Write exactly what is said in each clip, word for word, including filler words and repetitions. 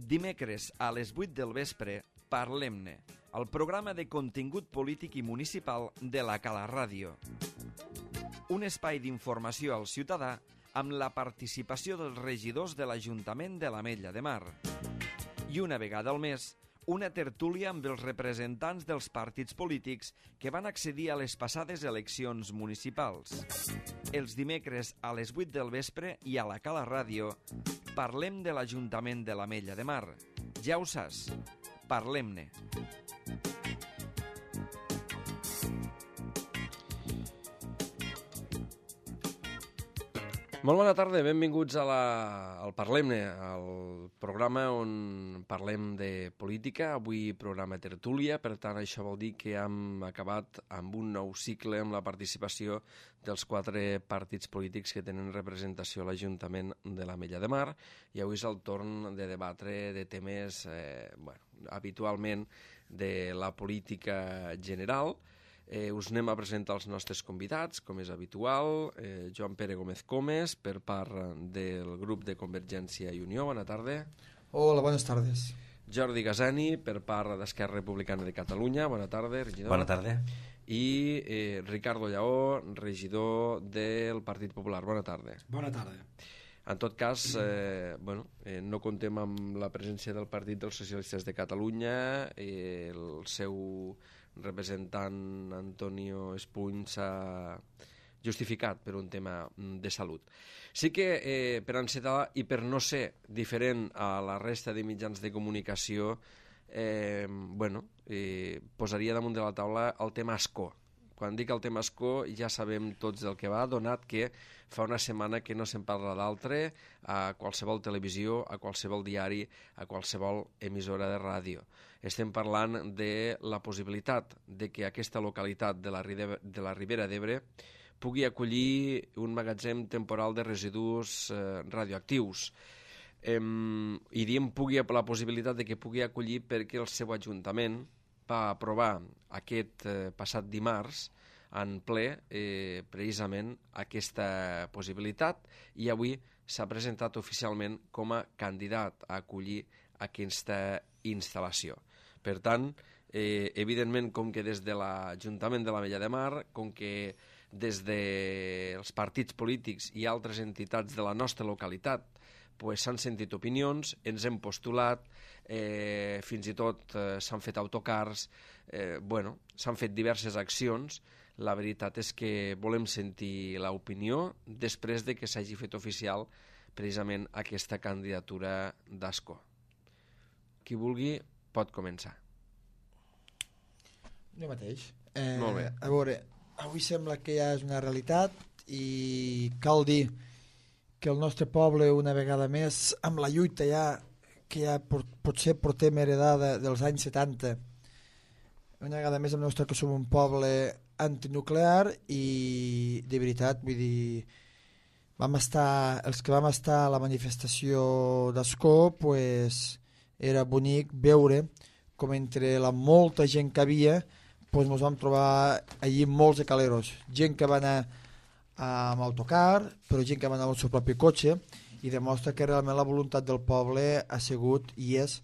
Dimecres a les vuit del vespre, Parlem-ne, el programa de contingut polític i municipal de la Cala Ràdio. Un espai d'informació al ciutadà amb la participació dels regidors de l'Ajuntament de l'Ametlla de Mar. I una vegada al mes, una tertúlia amb els representants dels partits polítics que van accedir a les passades eleccions municipals. Els dimecres a les vuit del vespre i a la Cala Ràdio parlem de l'Ajuntament de l'Ametlla de Mar. Ja ho saps, parlem-ne. Molt bona tarda, benvinguts a la, al Parlem-ne, al programa on parlem de política. Avui programa tertúlia, per tant això vol dir que hem acabat amb un nou cicle amb la participació dels quatre partits polítics que tenen representació a l'Ajuntament de l'Ametlla de Mar, i avui és el torn de debatre de temes, eh, bueno, habitualment de la política general. Eh, us anem a presentar els nostres convidats, com és habitual. Eh, Joan Pere Gómez Comes, per part del grup de Convergència i Unió. Bona tarda. Hola, buenas tardes. Jordi Gasani, per part d'Esquerra Republicana de Catalunya. Bona tarda, regidor. Bona tarda. I eh, Ricardo Lleó, regidor del Partit Popular. Bona tarda. Bona tarda. En tot cas, eh, bueno, eh, no contem amb la presència del Partit dels Socialistes de Catalunya. Eh, el seu representant Antonio Espuny s'ha justificat per un tema de salut. Sí que eh, per encetar i per no ser diferent a la resta de mitjans de comunicació, eh, bueno, eh, posaria damunt de la taula el tema escó. Quan dic el tema escó ja sabem tots del que va, donat que fa una setmana que no se'n parla d'altre a qualsevol televisió, a qualsevol diari, a qualsevol emissora de ràdio. Estem parlant de la possibilitat de que aquesta localitat de la, de la Ribera d'Ebre pugui acollir un magatzem temporal de residus eh, radioactius. Eh, I diem pugui, la possibilitat de que pugui acollir perquè el seu ajuntament va aprovar aquest eh, passat dimarts en ple eh, precisament aquesta possibilitat, i avui s'ha presentat oficialment com a candidat a acollir aquesta instal·lació. Per tant, eh, evidentment, com que des de l'Ajuntament de l'Ametlla de Mar, com que des dels partits polítics i altres entitats de la nostra localitat pues, s'han sentit opinions, ens hem postulat, eh, fins i tot eh, s'han fet autocars, eh, bueno, s'han fet diverses accions. La veritat és que volem sentir l'opinió després de que s'hagi fet oficial precisament aquesta candidatura d'Ascó. Qui vulgui pot començar. Jo mateix. Eh, Molt bé. A veure, avui sembla que ja és una realitat i cal dir que el nostre poble una vegada més, amb la lluita ja, que ja potser portem heredada dels anys setanta, una vegada més hem demostrat que som un poble antinuclear i de veritat, vull dir, vam estar, els que vam estar a la manifestació d'Ascó, pues, era bonic veure com entre la molta gent que havia pues, ens vam trobar allí molts de caleros, gent que va anar amb autocar, però gent que va anar amb el seu propi cotxe, i demostra que realment la voluntat del poble ha sigut i és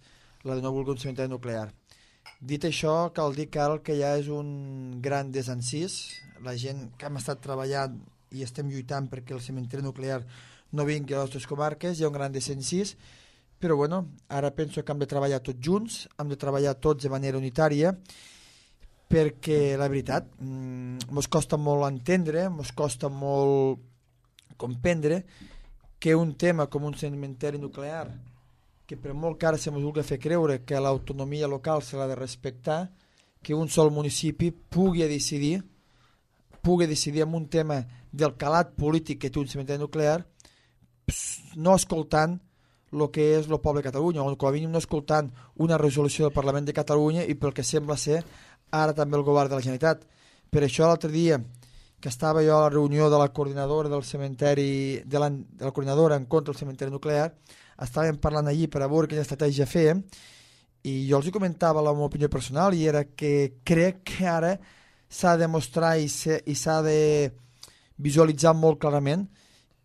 la de no voler un cementeri nuclear. Dit això, cal dir que ara el que ja és un gran desencís, la gent que hem estat treballant i estem lluitant perquè el cementeri nuclear no vingui a les nostres comarques, hi ha un gran desencís, però bueno, ara penso que hem de treballar tots junts, hem de treballar tots de manera unitària, perquè la veritat ens costa molt entendre, ens costa molt comprendre que un tema com un cementeri nuclear, que per molt que ara se ens vulgui fer creure que l'autonomia local se l'ha de respectar, que un sol municipi pugui decidir pugui decidir en un tema del calat polític que té un cementeri nuclear, no escoltant el que és el poble de Catalunya, o com a mínim no escoltant una resolució del Parlament de Catalunya i pel que sembla ser ara també el govern de la Generalitat. Per això l'altre dia que estava jo a la reunió de la coordinadora del cementeri, de la, de la coordinadora en contra del cementeri nuclear, estàvem parlant allí per a veure quina estratègia fèiem, i jo els comentava la meva opinió personal, i era que crec que ara s'ha de demostrar i s'ha de visualitzar molt clarament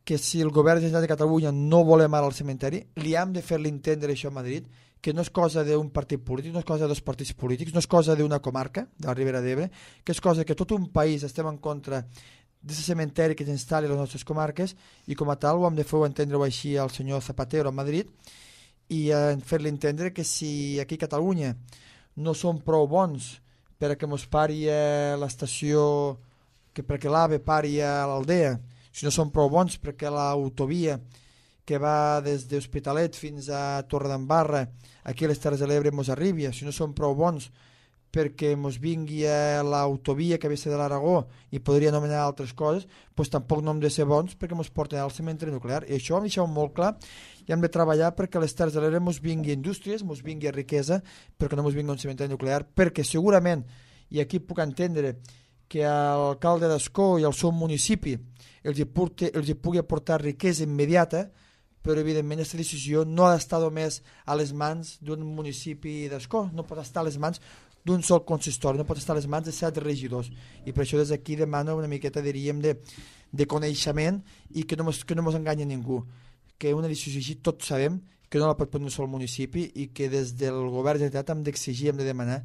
que si el govern de la Generalitat de Catalunya no volem ara el cementeri, li hem de fer-li entendre això a Madrid, que no és cosa d'un partit polític, no és cosa de dos partits polítics, no és cosa d'una comarca, de la Ribera d'Ebre, que és cosa que tot un país estem en contra d'aquest cementeri que s'instal·li a les nostres comarques, i com a tal ho hem de fer entendre-ho així al senyor Zapatero a Madrid, i eh, fer-li entendre que si aquí a Catalunya no som prou bons perquè mos pari a l'estació, que perquè l'AVE pari a l'Aldea, si no som prou bons perquè l'autovia que va des d'Hospitalet fins a Torredembarra, aquí a les Terres de l'Ebre mos arribi, si no som prou bons perquè mos vingui a l'autovia que ve de l'Aragó i podria anomenar altres coses, doncs tampoc no hem de ser bons perquè mos porten al cementeri nuclear. I això ho hem deixat molt clar, i hem de treballar perquè a les Terres de l'Ebre mos vingui indústries, mos vingui riquesa, perquè no mos vingui un cementeri nuclear, perquè segurament, i aquí puc entendre que l'alcalde d'Ascó i el seu municipi els hi, porti, els hi pugui aportar riquesa immediata, però evidentment aquesta decisió no ha d'estar només a les mans d'un municipi d'Ascó, no pot estar a les mans d'un sol consistori, no pot estar a les mans de set regidors, i per això des d'aquí demano una miqueta, diríem, de, de coneixement, i que no mos, que no mos enganya ningú, que una decisió així tots sabem que no la pot prendre un sol municipi, i que des del govern de la Generalitat hem d'exigir, hem de demanar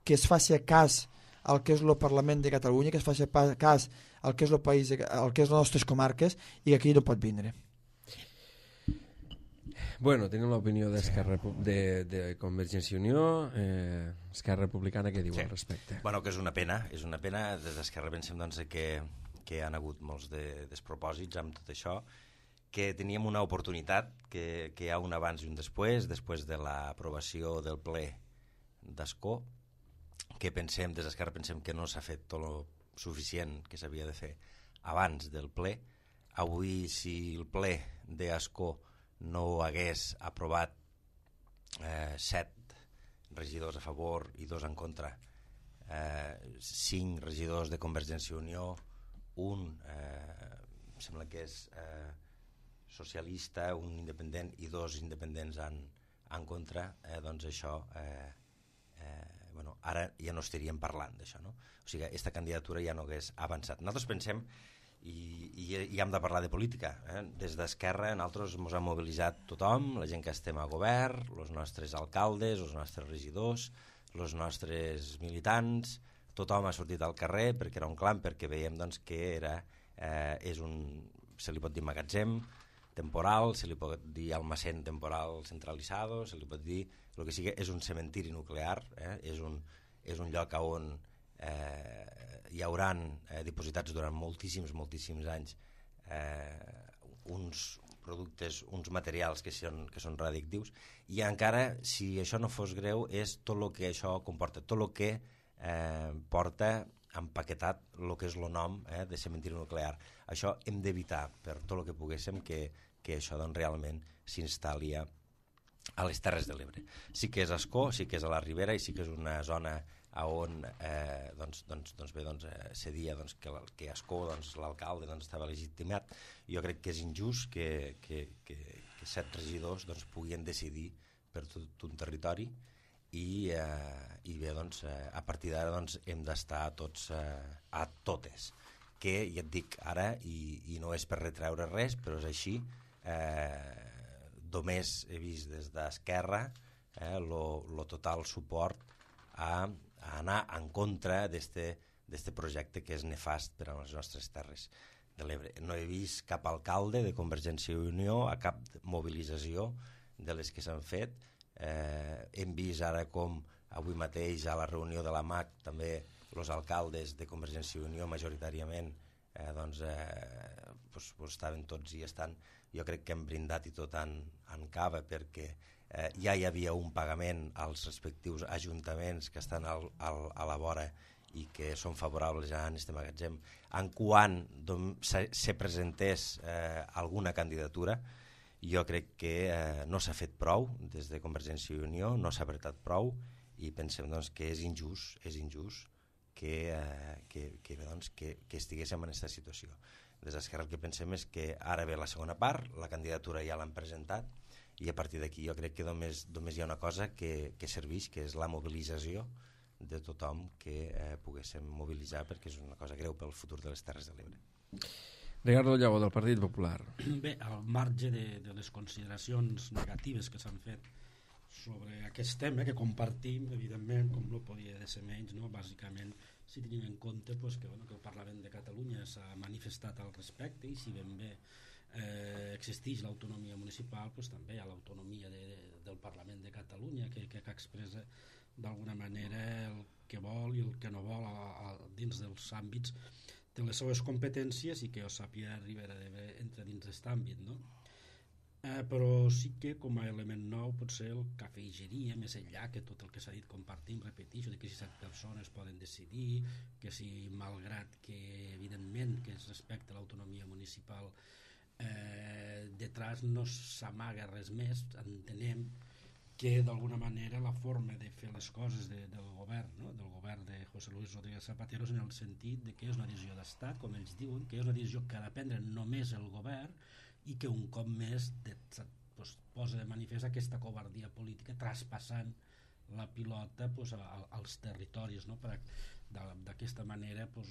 que es faci cas al que és el Parlament de Catalunya, que es faci cas al que és el país, al que és les nostres comarques, i que aquí no pot vindre. Bueno, tenim l'opinió d'Esquerra de, de Convergència i Unió. eh, Esquerra Republicana, què diu sí. al respecte? Bueno, que és una pena, és una pena. Des d'Esquerra pensem doncs, que, que han hagut molts de despropòsits amb tot això, que teníem una oportunitat, que, que hi ha un abans i un després, després de l'aprovació del ple d'Ascó, que pensem, des d'Esquerra pensem que no s'ha fet tot el suficient que s'havia de fer abans del ple. Avui, si el ple d'Ascó no hagués aprovat eh, set regidors a favor i dos en contra, eh, cinc regidors de Convergència i Unió, un eh, em sembla que és eh, socialista, un independent i dos independents en, en contra, eh, doncs això eh, eh, bueno, ara ja no estaríem parlant d'això, no? O sigui, aquesta candidatura ja no hagués avançat. Nosaltres pensem I, i, i hem de parlar de política, eh? Des d'Esquerra nosaltres ens hem mobilitzat tothom, la gent que estem a govern, els nostres alcaldes, els nostres regidors, els nostres militants, tothom ha sortit al carrer perquè era un clam, perquè veiem doncs, que era, eh, és un, se li pot dir magatzem temporal, se li pot dir almacén temporal centralitzado, se li pot dir el que sigui, és un cementiri nuclear, eh? és, un, és un lloc on eh, hi hauran eh, dipositats durant moltíssims, moltíssims anys eh, uns productes, uns materials que són, que són radioactius, i encara, si això no fos greu, és tot el que això comporta, tot el que eh, porta empaquetat el que és el nom eh, de cementiri nuclear. Això hem d'evitar per tot el que poguéssim que, que això doncs, realment s'instal·li a les Terres de l'Ebre. Sí que és Ascó, sí que és a la Ribera i sí que és una zona on eh, doncs, doncs, doncs bé, doncs, eh, cedia doncs, que, que Ascó, doncs, l'alcalde doncs, estava legitimat. Jo crec que és injust que, que, que, que set regidors doncs, puguin decidir per tot un territori i, eh, i bé, doncs, eh, a partir d'ara doncs, hem d'estar tots eh, a totes, que ja et dic ara, i, i no és per retreure res, però és així, eh, només he vist des d'Esquerra eh, lo total suport a a anar en contra d'aquest projecte que és nefast per a les nostres Terres de l'Ebre. No he vist cap alcalde de Convergència i Unió a cap mobilització de les que s'han fet. Eh, hem vist ara com avui mateix a la reunió de la M A C també els alcaldes de Convergència i Unió majoritàriament eh, doncs, eh, pues, pues estaven tots i estan, jo crec que hem brindat i tot en, en cava perquè Eh, ja hi havia un pagament als respectius ajuntaments que estan al, al, a la vora i que són favorables a aquest magatzem. En quan se, se presentés eh, alguna candidatura, jo crec que eh, no s'ha fet prou des de Convergència i Unió, no s'ha apretat prou i pensem doncs, que és injust, és injust que, eh, que, que, doncs, que, que estiguéssim en aquesta situació. Des d'Esquerra el que pensem és que ara ve la segona part, la candidatura ja l'han presentat, i a partir d'aquí jo crec que només, només hi ha una cosa que, que serveix, que és la mobilització de tothom que eh, poguéssim mobilitzar perquè és una cosa greu pel futur de les Terres de l'Ebre. Ricardo Llago, del Partit Popular. Bé, al marge de, de les consideracions negatives que s'han fet sobre aquest tema que compartim, evidentment, com no podia ser menys, no? Bàsicament, si tenim en compte pues, que, bueno, que el Parlament de Catalunya s'ha manifestat al respecte i si ben bé eh, existeix l'autonomia municipal, pues, també hi ha l'autonomia de, de, del Parlament de Catalunya que, que, que expressa d'alguna manera el que vol i el que no vol a, a, dins dels àmbits de les seues competències i que jo sàpiga Ribera d'Ebre entra dins d'aquest àmbit, no? Eh, però sí que com a element nou potser el que afegiria més enllà que tot el que s'ha dit compartim, repeteixo, de que si set persones poden decidir, que si malgrat que evidentment que es respecta l'autonomia municipal eh, detrás no s'amaga res més, entenem que d'alguna manera la forma de fer les coses de, del govern, no? Del govern de José Luis Rodríguez Zapatero és en el sentit de que és una decisió d'estat, com ells diuen, que és una decisió que ha de prendre només el govern i que un cop més de, pues, posa de manifest aquesta covardia política traspassant la pilota pues, a, a, als territoris, no? Per d'aquesta manera pues,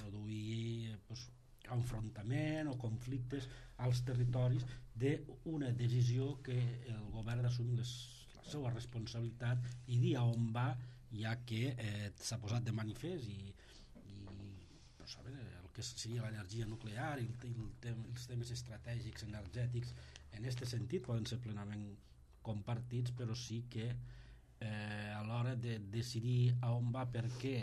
produir pues, enfrontament o conflictes als territoris d'una decisió que el govern assumir la seva responsabilitat i dir a on va, ja que eh, s'ha posat de manifest i, i pues, a veure, el que seria l'energia nuclear i, el, i el tem, els temes estratègics energètics en aquest sentit poden ser plenament compartits, però sí que eh, a l'hora de decidir a on va, per què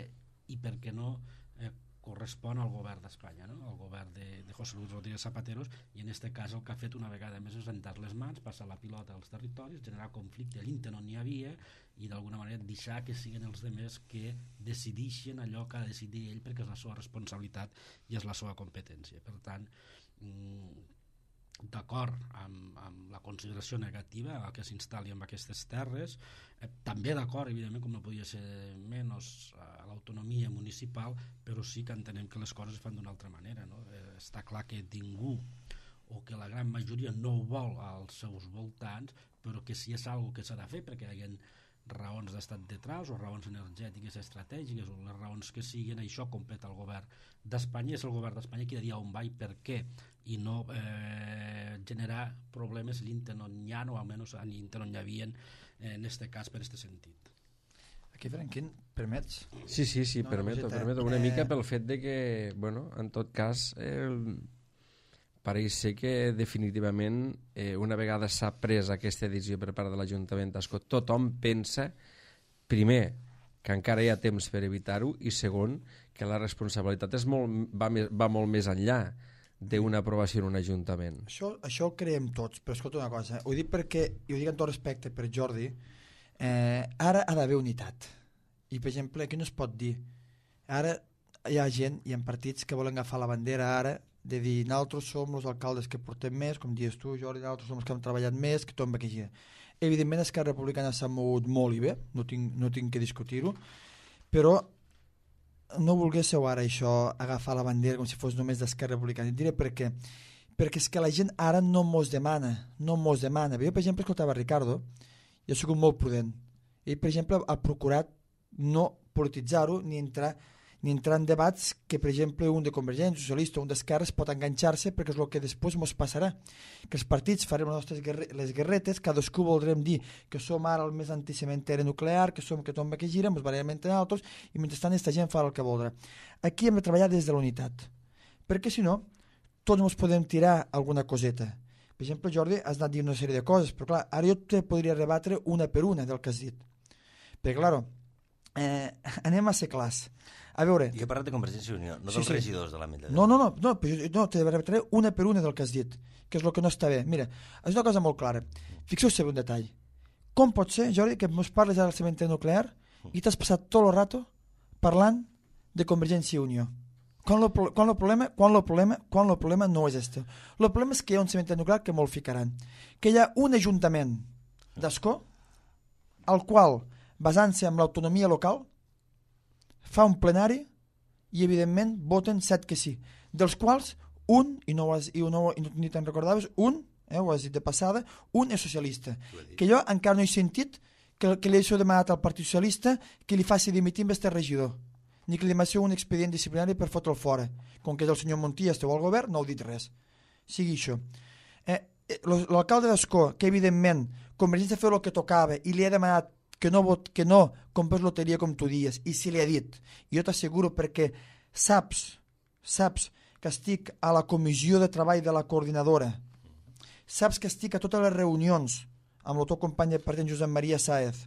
i per què no eh, correspon al govern d'Espanya, no? Al govern de, de José Luis Rodríguez Zapatero, i en aquest cas el que ha fet una vegada més és rentar les mans, passar la pilota als territoris, generar conflicte allí on n'hi havia i d'alguna manera deixar que siguin els demés que decideixen allò que ha de decidir ell perquè és la seva responsabilitat i és la seva competència. Per tant, d'acord amb, amb la consideració negativa a que s'instal·li en aquestes terres, eh, també d'acord, evidentment, com no podia ser menys, a l'autonomia municipal, però sí que entenem que les coses es fan d'una altra manera, no? Eh, està clar que ningú o que la gran majoria no ho vol als seus voltants, però que si és algo que s'ha de fer perquè hi ha raons d'estat detrás o raons energètiques estratègiques o les raons que siguin, això competa el govern d'Espanya, és el govern d'Espanya qui ha de dir on va i per què, i no eh, generar problemes allà on hi ha o almenys allà on hi havia eh, en aquest cas per aquest sentit. Aquí, Franquín, permets? Sí, sí, sí, no, permeto, no, permeto. Una eh... mica pel fet de que, bueno, en tot cas, eh, pareix ser que definitivament eh, una vegada s'ha pres aquesta decisió per part de l'Ajuntament d'Ascó, tothom pensa, primer, que encara hi ha temps per evitar-ho, i segon, que la responsabilitat és molt, va, va molt més enllà d'una aprovació en un Ajuntament. Això, això ho creiem tots, però escolta una cosa, ho dic perquè, i ho dic amb tot respecte per Jordi, eh, ara ha d'haver unitat. I, per exemple, aquí no es pot dir, ara hi ha gent, hi ha partits que volen agafar la bandera ara, de dir, nosaltres som els alcaldes que portem més, com dius tu, Jordi, nosaltres som els que hem treballat més, que tot va que gira. Evidentment, Esquerra Republicana s'ha mogut molt i bé, no tinc, no tinc que discutir-ho, però no volguéssiu ara això, agafar la bandera com si fos només d'Esquerra Republicana. I diré per què. Perquè és que la gent ara no mos demana, no mos demana. Jo, per exemple, escoltava Ricardo, i ha sigut molt prudent. Ell, per exemple, ha procurat no polititzar-ho ni entrar ni entrar en debats que, per exemple, un de Convergència, socialista o un d'Esquerres pot enganxar-se perquè és el que després ens passarà. Que els partits farem les nostres guerre les guerretes, cadascú voldrem dir que som ara el més anticementeri nuclear, que som que tomba que gira, ens barallem entre nosaltres, i mentrestant aquesta gent fa el que voldrà. Aquí hem de treballar des de la unitat, perquè si no, tots ens podem tirar alguna coseta. Per exemple, Jordi, has anat dient una sèrie de coses, però clar, ara jo te podria rebatre una per una del que has dit. Perquè, clar, eh, anem a ser clars. A veure... Jo he parlat de Convergència i Unió, no dels sí, sí. regidors de l'Ametlla. No, no, no, no, no te rebatré una per una del que has dit, que és el que no està bé. Mira, és una cosa molt clara. Fixeu-vos en un detall. Com pot ser, Jordi, que ens parles ara del cementeri nuclear i t'has passat tot el rato parlant de Convergència i Unió? Quan el problema, quan el problema, quan el problema no és este. El problema és que hi ha un cementeri nuclear que molt ficaran. Que hi ha un ajuntament d'Ascó al qual, basant-se en l'autonomia local, fa un plenari i, evidentment, voten set que sí, dels quals un, i no, has, i no, i no ni te'n recordaves, un, eh, ho has dit de passada, un és socialista. Que jo encara no he sentit que, que li he demanat al Partit Socialista que li faci dimitir amb este regidor, ni que li demani un expedient disciplinari per fotre'l fora. Com que és el senyor Montilla, esteu al govern, no heu dit res. Sigui això. Eh, L'alcalde d'Ascó, que evidentment Convergència ha fet el que tocava i li ha demanat que no, vot, que no comprés loteria com tu dies, i si li ha dit, jo t'asseguro perquè saps, saps que estic a la comissió de treball de la coordinadora, saps que estic a totes les reunions amb el teu company de partit Josep Maria Sáez,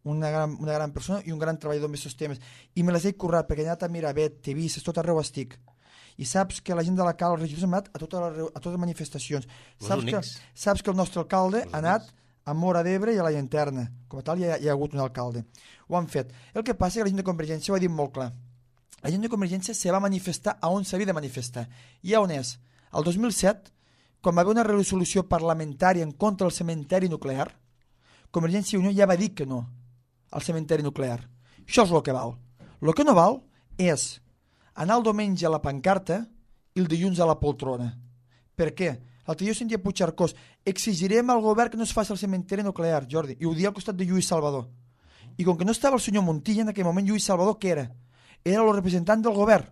una gran, una gran persona i un gran treballador amb aquests temes, i me les he currat perquè he anat a Miravet, T V, tot arreu estic. I saps que la gent de la Cal, els regidors han anat a totes les, a totes les manifestacions. Saps que, saps que el nostre alcalde ha anat a Móra d'Ebre i a la Llanterna. Com a tal, hi ha, hi ha hagut un alcalde. Ho han fet. El que passa és que la gent de Convergència ho ha dit molt clar. La gent de Convergència se va manifestar a on s'havia de manifestar. I a on és? El dos mil set, quan va haver una resolució parlamentària en contra del cementeri nuclear, Convergència i Unió ja va dir que no al cementeri nuclear. Això és el que val. El que no val és anar el diumenge a la pancarta i el dilluns a la poltrona. Per què? L'altre dia sentia Puigcercós, exigirem al govern que no es faci el cementeri nuclear, Jordi, i ho dia al costat de Lluís Salvador. I com que no estava el senyor Montilla, en aquell moment Lluís Salvador, què era? Era el representant del govern.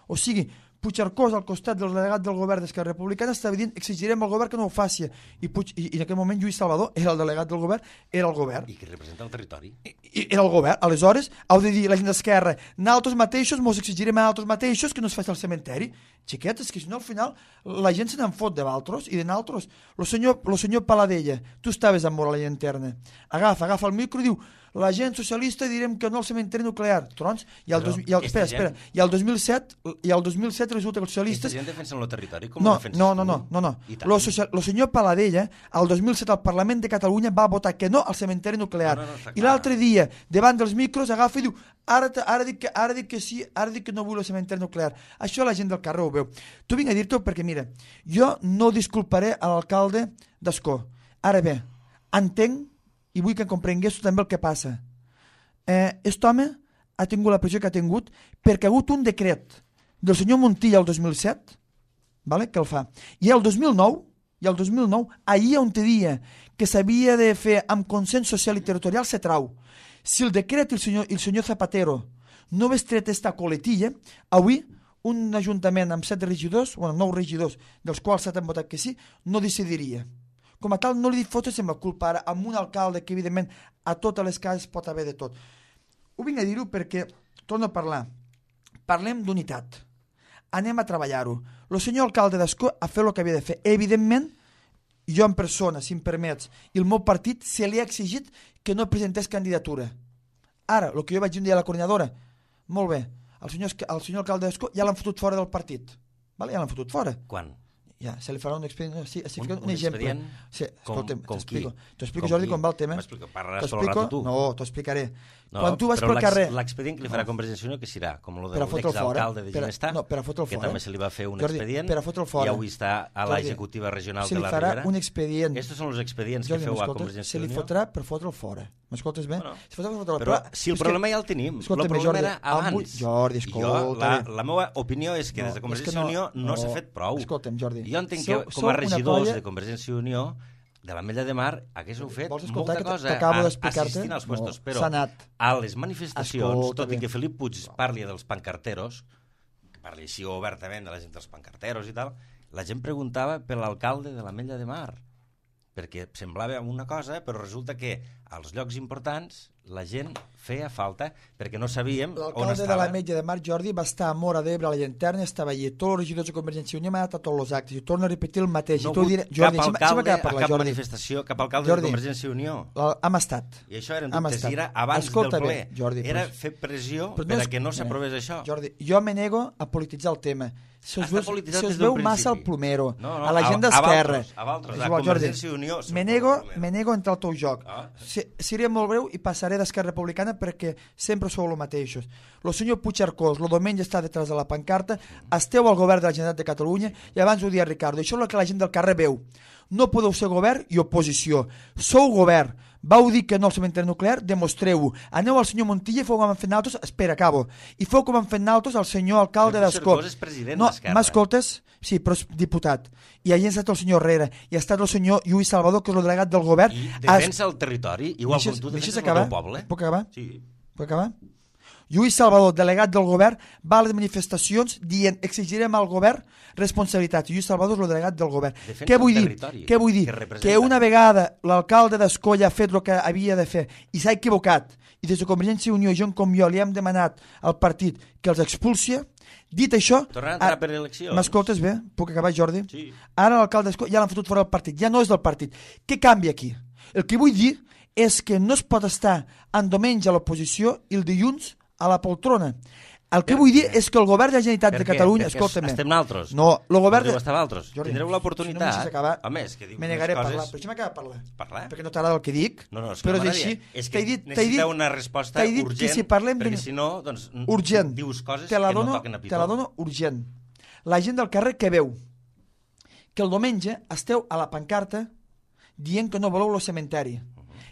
O sigui, Puigcercós al costat del delegat del govern d'Esquerra Republicana estava dient exigirem al govern que no ho faci. I, Puig, i, i en aquell moment Lluís Salvador era el delegat del govern, era el govern. I que representa el territori. I, i era el govern. Aleshores, heu de dir la gent d'Esquerra, nosaltres mateixos mos exigirem a nosaltres mateixos que no es faci el cementeri. Xiquetes, que si no al final la gent se n'en fot de valtros i de naltros. El senyor, el senyor Paladella, tu estaves amb Mora la Llanterna. Agafa, agafa el micro i diu la gent socialista direm que no al cementeri nuclear. Trons, i el, dos, i el, espera, espera, i el dos mil set i el dos mil set resulta que els socialistes... Aquesta gent defensen el territori com no, ho defenses no, no, no, no, no. Lo, social, lo senyor Paladella, el dos mil set al Parlament de Catalunya va votar que no al cementeri nuclear. No, no, no, I l'altre dia, davant dels micros, agafa i diu ara, ara, dic que, ara dic que sí, ara dic que no vull el cementeri nuclear. Això la gent del carrer ho veu. Tu vinc a dir-t'ho perquè, mira, jo no disculparé a l'alcalde d'Ascó. Ara bé, entenc i vull que comprengués també el que passa. Eh, aquest home ha tingut la pressió que ha tingut perquè ha hagut un decret del senyor Montilla el dos mil set, vale, que el fa. I el dos mil nou, i el dos mil nou, ahir on te dia que s'havia de fer amb consens social i territorial se trau. Si el decret i el senyor, el senyor Zapatero no hagués tret esta coletilla, avui un ajuntament amb set regidors, bueno, nou regidors, dels quals set han votat que sí, no decidiria. Com a tal, no li fotes amb la culpa ara amb un alcalde que, evidentment, a totes les cases pot haver de tot. Ho vinc a dir-ho perquè, torno a parlar, parlem d'unitat. Anem a treballar-ho. El senyor alcalde d'Ascó ha fet el que havia de fer. Evidentment, jo en persona, si em permets, i el meu partit se li ha exigit que no presentés candidatura. Ara, el que jo vaig dir un dia a la coordinadora, molt bé, el senyor, el senyor alcalde d'Ascó ja l'han fotut fora del partit. Vale? Ja l'han fotut fora. Quan? Ja, se li farà un expedient, sí, sí, un, un, un exemple. Sí, com, com t'explico. T'explico, com Jordi, qui? com va el tema. Parlaràs tot el rato tu. No, t'ho explicaré. No, quan tu vas pel carrer... L'expedient que li farà no. Convergència i Unió, que serà com el de l'exalcalde de Ginestar, no, que també se li va fer un Jordi, expedient, i avui està a l'executiva regional se de la Ribera. Se li farà Ribera. un expedient. Estos són els expedients Jordi, que feu a Convergència i Unió. Se li fotrà per fotre'l fora. M'escoltes bé? Bueno, se fotrà per fotre'l però si el problema ja el tenim, el problema era abans. Jordi, escolta'm. La meva opinió és que des de Convergència i Unió no s'ha fet prou. Escolta'm, Jordi. Jo entenc que com a regidors de Convergència i Unió de l'Ametlla de Mar haguéssiu fet molta cosa assistint als puestos, però a les manifestacions, tot i que Felip Puig parli dels pancarteros, parli així obertament de la gent dels pancarteros i tal, la gent preguntava per l'alcalde de l'Ametlla de Mar, perquè semblava una cosa, però resulta que als llocs importants la gent feia falta perquè no sabíem on estava. L'alcalde de l'Ametlla de Mar, Jordi, va estar a Móra d'Ebre, a la Llanterna, estava allí. Tots els regidors de Convergència i Unió m'han anat a tots els actes. I torno a repetir el mateix. No ha hagut cap alcalde a cap manifestació, cap alcalde de Convergència i Unió. Hem estat. I això eren dubtes, i era abans del ple. Jordi, era fer pressió per a que no s'aprovés això. Jordi, jo me nego a polititzar el tema. Se us veu, se us veu massa el plomero, no, no, a la gent d'Esquerra. A Valtros, a Convergència i Unió. Me nego, me nego a entrar al teu joc. Seré molt breu i passaré d'Esquerra Republicana perquè sempre sou els mateixos. El senyor Puigcercós, el diumenge està detrás de la pancarta, esteu al govern de la Generalitat de Catalunya i abans ho dia Ricardo. Això és el que la gent del carrer veu. No podeu ser govern i oposició. Sou govern. Vau dir que no al cementeri nuclear, demostreu-ho. Aneu al senyor Montilla i feu com han fet naltros, espera, acabo, i feu com han fet naltros al senyor alcalde d'Ascó. No, m'escoltes? Sí, però és diputat. I allà ha estat el senyor Herrera, i ha estat el senyor Lluís Salvador, que és el delegat del govern. I defensa el territori, igual com tu defenses el teu poble. Puc acabar? Sí. Puc acabar? Lluís Salvador, delegat del govern, va a les manifestacions dient exigirem al govern responsabilitat. Lluís Salvador és el delegat del govern. Defensa Què vull el dir? territori Què vull dir? que representa. Que una vegada l'alcalde d'Escolla ha fet el que havia de fer i s'ha equivocat, i des de Convergència i Unió, gent com jo, li hem demanat al partit que els expulsi. Dit això... Tornaran a entrar per eleccions. M'escoltes bé? Puc acabar, Jordi? Sí. Ara l'alcalde d'Escolla ja l'han fotut fora del partit, ja no és del partit. Què canvia aquí? El que vull dir és que no es pot estar en diumenge a l'oposició i el dilluns a la poltrona. El que Per vull dir què? és que el govern de la Generalitat Per de què? Catalunya... Perquè Escolta'm bé. estem naltros. No, el govern... Podeu estar altres. Jordi, Tindreu si no l'oportunitat. me deixes acabar, Home, és que diu me unes negaré a coses... parlar. Però deixa'm acabar de parlar. Parlar? Perquè no t'agrada el que dic. No, no, és que però no és així. m'agradaria. És T'he que dit, t'he necessiteu dit, una resposta t'he dit urgent, que si parlem perquè de... si no, doncs, urgent. dius coses te la que dono, no toquen a pitó. te la dono urgent. La gent del carrer que veu que el diumenge esteu a la pancarta dient que no voleu el cementeri,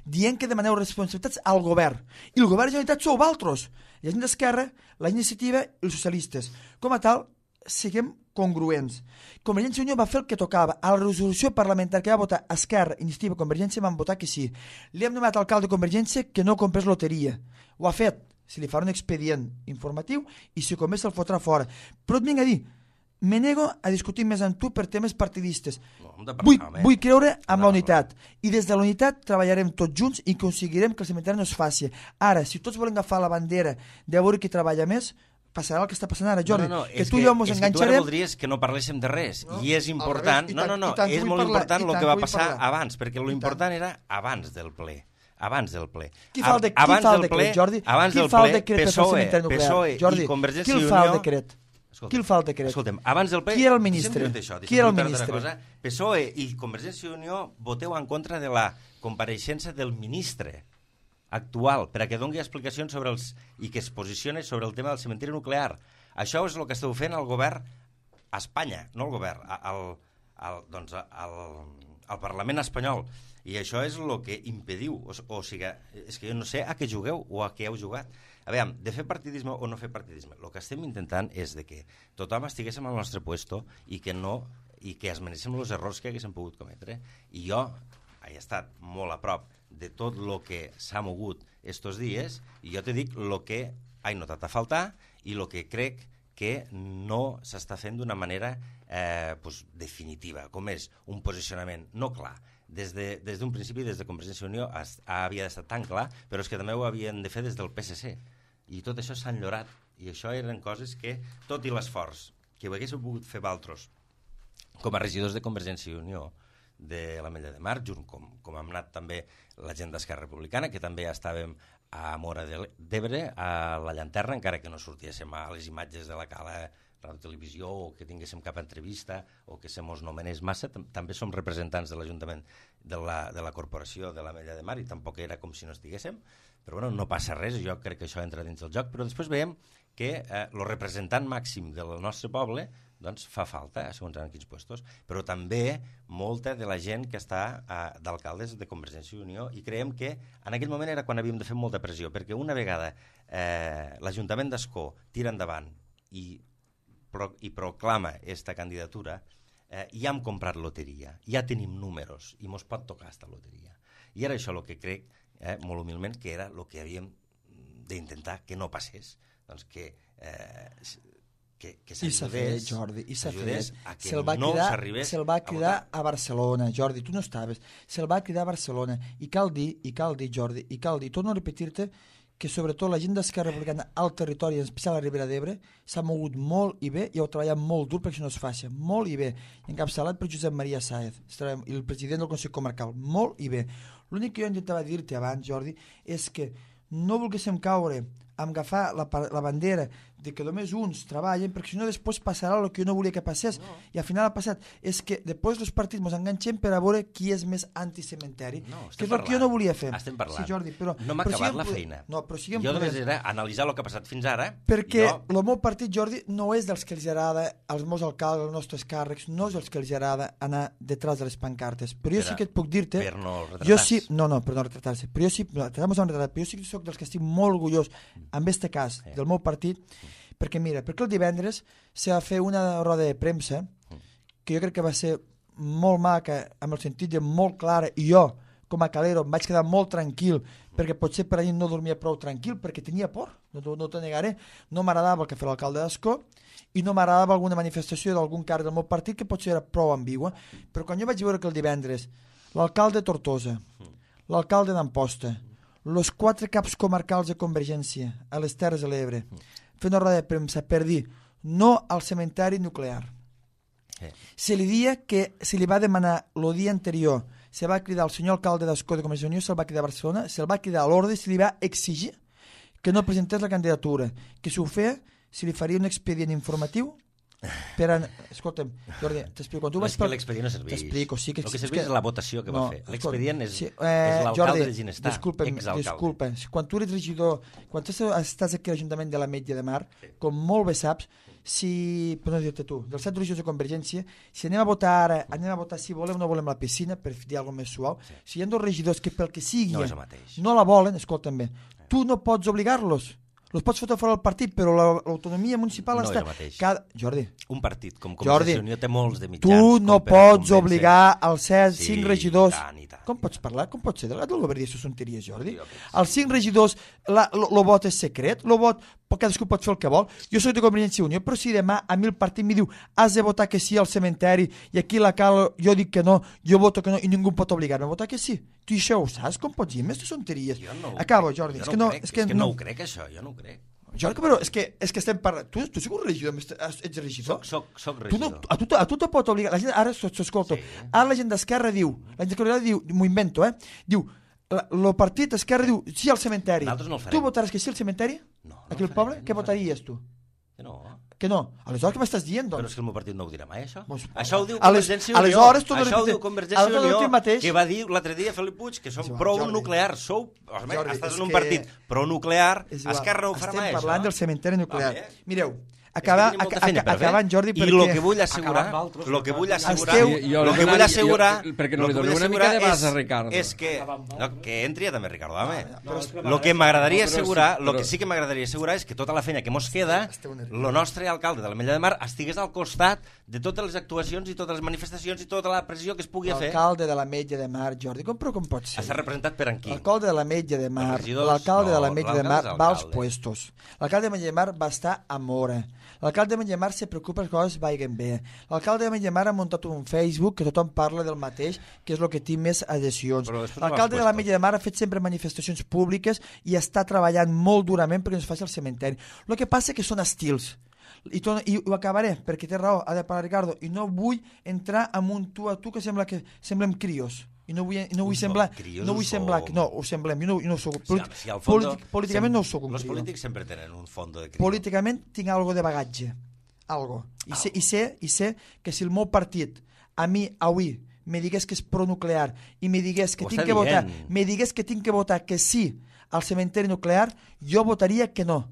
dient que demaneu responsabilitats al govern. I el govern de la Generalitat sou vosaltres. La gent d'Esquerra, la iniciativa i els socialistes. Com a tal, siguem congruents. Convergència i Unió va fer el que tocava. A la resolució parlamentària que va votar Esquerra, Iniciativa i Convergència van votar que sí. Li hem demanat al alcalde de Convergència que no comprés loteria. Ho ha fet. Se li farà un expedient informatiu i si com se'l fotrà fora. Però et vinc a dir, me nego a discutir més amb tu per temes partidistes. No, hem de parlar, Vull, home. vull creure en No, la unitat. I des de la unitat treballarem tots junts i aconseguirem que el cementeri no es faci. Ara, si tots volem agafar la bandera de veure qui treballa més, passarà el que està passant ara, Jordi. No, no, no, que és tu i jo mos és que tu ara enganxarem... voldries que no parléssim de res. No, I és al important... revés, i No, tant- no, no, i tant és vull molt parlar, important i el tant que va vull passar parlar. abans, perquè lo I important era abans del ple. Abans del ple. Qui fa el, de, qui abans fa el del decret, ple, Jordi? Abans qui del fa el ple, decret per fer el PSOE, cementeri nuclear? PSOE Jordi, i Convergència qui i el fa el Unió... decret? Escolta'm, Qui el fa el decret? Escolta'm, abans del ple... Qui era el ministre? Deixa'm dir-te Això, Qui era el deixa'm dir-te ministre? una cosa. PSOE i Convergència i Unió voteu en contra de la compareixença del ministre actual per a que doni explicacions sobre els i que es posicioni sobre el tema del cementiri nuclear. Això és el que esteu fent al govern a Espanya, no al govern, al, al, doncs, al, al Parlament espanyol. I això és el que impediu, o, o sigui, és que jo no sé a què jugueu o a què heu jugat. A veure, de fer partidisme o no fer partidisme, el que estem intentant és de que tothom estiguéssim al nostre puesto i que no i que esmenéssim els errors que haguéssim pogut cometre. I jo he estat molt a prop de tot el que s'ha mogut estos dies i jo te dic el que he notat a faltar i el que crec que no s'està fent d'una manera eh, pues, definitiva, com és un posicionament no clar. Des d'un de, des principi, des de Convergència i Unió, es, havia d'estar tan clar, però és que també ho havien de fer des del P S C. I tot això s'ha enllorat. I això eren coses que, tot i l'esforç que ho haguéssim pogut fer valtros, com a regidors de Convergència i Unió, de l'Ametlla de Mar, junt com, com hem anat també la gent d'Esquerra Republicana, que també estàvem a Móra d'Ebre, a la Llanterna, encara que no sortíssim a les imatges de la Cala Ràdio Televisió o que tinguéssim cap entrevista o que se mos nomenés massa, també som representants de l'Ajuntament de la, de la Corporació de l'Ametlla de Mar i tampoc era com si no estiguéssim, però bueno, no passa res, jo crec que això entra dins del joc, però després veiem que eh, el representant màxim del nostre poble doncs fa falta, segons en quins puestos, però també molta de la gent que està eh, d'alcaldes de Convergència i Unió i creiem que en aquell moment era quan havíem de fer molta pressió, perquè una vegada eh, l'Ajuntament d'Ascó tira endavant i Pro, i proclama esta candidatura, eh, ja hem comprat loteria, ja tenim números i mos pot tocar esta loteria. I era això el que crec, eh, molt humilment, que era el que havíem d'intentar que no passés, doncs que, eh, que, que I s'ha fet, Jordi, i s'ha fet. Se'l va no cridar, s'arribés se'l va cridar a, a Barcelona, Jordi, tu no estaves, se'l va cridar a Barcelona, i cal dir, i cal dir, Jordi, i cal dir, torno a repetir-te, que sobretot la gent d'Esquerra Republicana al territori, en especial a la Ribera d'Ebre, s'ha mogut molt i bé i heu treballat molt dur perquè això no es faci, molt i bé, encapçalat per Josep Maria Sáez, el president del Consell Comarcal, molt i bé. L'únic que jo intentava dir-te abans, Jordi, és que no volguéssim caure amb agafar la, la bandera de que només uns treballen, perquè si no després passarà el que jo no volia que passés, no. I al final ha passat. És que després els partits ens enganxem per a veure qui és més anticementeri, no, que és el que jo no volia fer. Estem parlant. Sí, Jordi, però, no m'ha però acabat siguem, la feina. No, però siguem jo només podent. era analitzar el que ha passat fins ara. Perquè jo... el meu partit, Jordi, no és dels que els agrada, als meus alcaldes, als nostres càrrecs, no és dels que els agrada anar detrás de les pancartes. Però jo per sí que et puc dir-te... Per no jo sí, no, no, per no retratar-se. Però jo sí, no, però jo sí que soc dels que estic molt orgullós, en este cas, eh. del meu partit, perquè mira, perquè el divendres s'ha de fer una roda de premsa que jo crec que va ser molt maca, amb el sentit de molt clara, i jo, com a calero, em vaig quedar molt tranquil, perquè potser per allà no dormia prou tranquil, perquè tenia por, no, no t'ho negaré. No m'agradava el que feia l'alcalde d'Ascó, i no m'agradava alguna manifestació d'algun càrrec del meu partit que potser era prou ambigua, però quan jo vaig veure que el divendres l'alcalde de Tortosa, l'alcalde d'Amposta, els quatre caps comarcals de Convergència a les Terres de l'Ebre, fent una roda de premsa per dir no al cementeri nuclear. Se li dia que se li va demanar el dia anterior, se va cridar el senyor alcalde d'Ascó de Convergència i Unió, se'l va cridar a Barcelona, se'l va cridar a l'ordre i se li va exigir que no presentés la candidatura, que si ho feia si li faria un expedient informatiu per a... Escolta'm, Jordi, t'explico. Quan tu no vas és que l'expedient no serveix. T'explico, sí que... El que serveix és la votació que no, va fer. L'expedient és, sí, eh, és l'alcalde de Ginestar, exalcalde. Disculpa, quan tu eres regidor, quan tu estàs aquí a l'Ajuntament de l'Ametlla de Mar, sí. Com molt bé saps, si, per no dir-te tu, dels set regidors de Convergència, si anem a votar ara, anem a votar si volem o no volem la piscina, per dir alguna més suau, sí. Si hi ha dos regidors que pel que sigui no, no la volen, escolta'm bé, sí. Tu no pots obligar-los. Els pots fotre fora del partit, però l'autonomia municipal no està... Cada... Jordi. Un partit com Convergència i Unió té molts de mitjans. Tu no pots obligar als set, sí, cinc regidors... I tant, i tant. Com pots parlar? Com pots ser delegat del govern i aquestes tonteries, Jordi? Els cinc regidors, el vot és secret, el vot, cadascú pot fer el que vol. Jo soc de Convergència i Unió, però si demà a mi el partit m'hi diu has de votar que sí al cementeri i aquí la cal jo dic que no, jo voto que no i ningú pot obligar-me a votar que sí. Tu això ho saps? Com pots dir aquestes tonteries? No Acabo, Jordi. Jo és que no, crec, és que és que no ho crec, això, jo no ho crec. Jordi, però és que, és que estem parlant... Tu, tu sigues un regidor, ets regidor? Soc, soc, soc regidor. Tu no, a, tu, a tu te pot obligar... La gent, ara s'escolta. Sí. Ara la gent d'Esquerra diu... La gent d'Esquerra diu... M'ho invento, eh? Diu... El partit d'Esquerra diu sí al cementeri. Nosaltres no el farem. Tu votaràs que sí al cementeri? No. Aquí al poble? Què votaries tu? Que no. Que no? Aleshores què m'estàs dient, doncs? Però és que el meu partit no ho dirà mai, això. Pues, això ho diu Convergència i Unió. Aleshores, tu no això ho diu Convergència i Unió, que va dir l'altre dia Felip Puig, que som pro-nuclear. Sou, home, estàs en un partit pro-nuclear, Esquerra no ho farà mai, això. Estem parlant del cementeri nuclear. Mireu, Acaba, acabant, Jordi, perquè... I el que vull assegurar, el que vull assegurar, el que vull assegurar, perquè no li dono una mica de base a Ricardo. És que, no, que entri ja també Ricardo, home. El que m'agradaria assegurar, el que sí que m'agradaria assegurar és que tota la feina que mos queda, el nostre alcalde de l'Ametlla de Mar estigués al costat de totes les actuacions i totes les manifestacions i tota la pressió que es pugui fer. L'alcalde de l'Ametlla de Mar, Jordi, com, però com pot ser? Està representat per en qui? L'alcalde de l'Ametlla de Mar, l'alcalde de l'Ametlla de Mar va als puestos. L'alcalde de l'Ametlla de Mar va estar a Mora. L'alcalde de l'Ametlla de Mar se preocupa que les coses vagin bé. L'alcalde de l'Ametlla de Mar ha muntat un Facebook que tothom parla del mateix, que és el que té més adhesions. L'alcalde de l'Ametlla de Mar ha fet sempre manifestacions públiques i està treballant molt durament perquè no es faci el cementeri. El que passa que són estils. I, to, i ho acabaré, perquè té raó, ha de parlar Ricardo, i no vull entrar en un tu a tu que sembla que semblem crios. I no vull, no vull semblar... No vull semblar... No, ho semblem. Jo no, jo no soc... Politi si, si fondo, polític, políticament no soc un los crido. Els polítics sempre tenen un fondo de crido. Políticament tinc algo de bagatge. Algo. I, sé, i, sé, I sé que si el meu partit a mi avui me digués que és pronuclear i me digués que tinc que votar me digués que tinc que votar que sí al cementeri nuclear, jo votaria que no.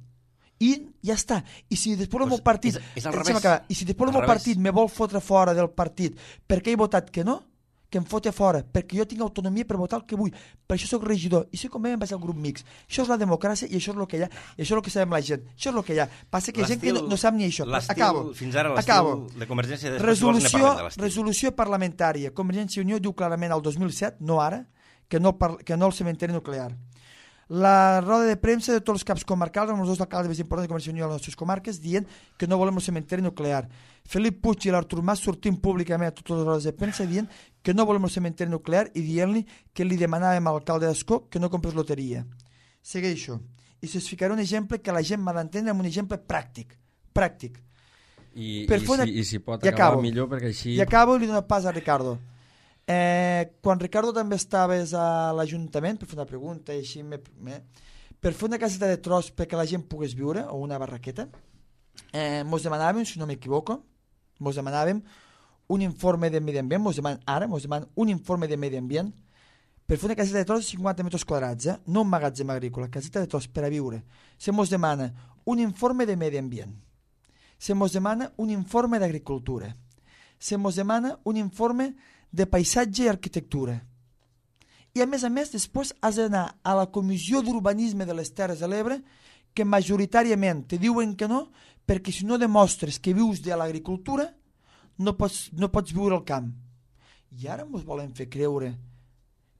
I ja està. I si després el meu partit... És, és al revés. I si després el meu partit me vol fotre fora del partit perquè he votat que no, que em fote fora, perquè jo tinc autonomia per votar el que vull. Per això soc regidor. I si com em vaig al grup mix. Això és la democràcia i això és el que hi ha. I això és el que sabem la gent. Això és el que hi ha. Passa que hi ha gent que no, no sap ni això. Acabo. Fins ara l'estil de Convergència de resolució, resolució parlamentària. Convergència i Unió diu clarament al dos mil set, no ara, que no, que no el cementeri nuclear. La roda de premsa de tots els caps comarcals amb els dos alcaldes més importants de Convergència i Unió a les nostres comarques dient que no volem el cementeri nuclear. Felip Puig i l'Artur Mas sortint públicament a totes les rodes de premsa dient que no volem el cementeri nuclear i dient-li que li demanàvem a l'alcalde d'Ascó que no comprés loteria. Segueixo. I si us ficaré un exemple que la gent m'ha d'entendre amb un exemple pràctic. Pràctic. I, i, una... si, i si pot I acabar acabo. millor perquè així... I acabo i li dono pas a Ricardo. Eh, quan Ricardo també estaves a l'Ajuntament per fer una pregunta i així me, me, per fer una caseta de tros perquè la gent pogués viure o una barraqueta eh, mos demanàvem, si no m'equivoco mos demanàvem un informe de medi ambient, mos demanen ara mos demanen un informe de medi ambient per fer una caseta de tros de cinquanta metres quadrats, eh? No un magatzem agrícola, caseta de tros per a viure. Se mos demana un informe de medi ambient, se mos demana un informe d'agricultura, se mos demana un informe de paisatge i arquitectura. I a més a més, després has d'anar a la Comissió d'Urbanisme de les Terres de l'Ebre, que majoritàriament te diuen que no, perquè si no demostres que vius de l'agricultura, no pots, no pots viure al camp. I ara ens volen fer creure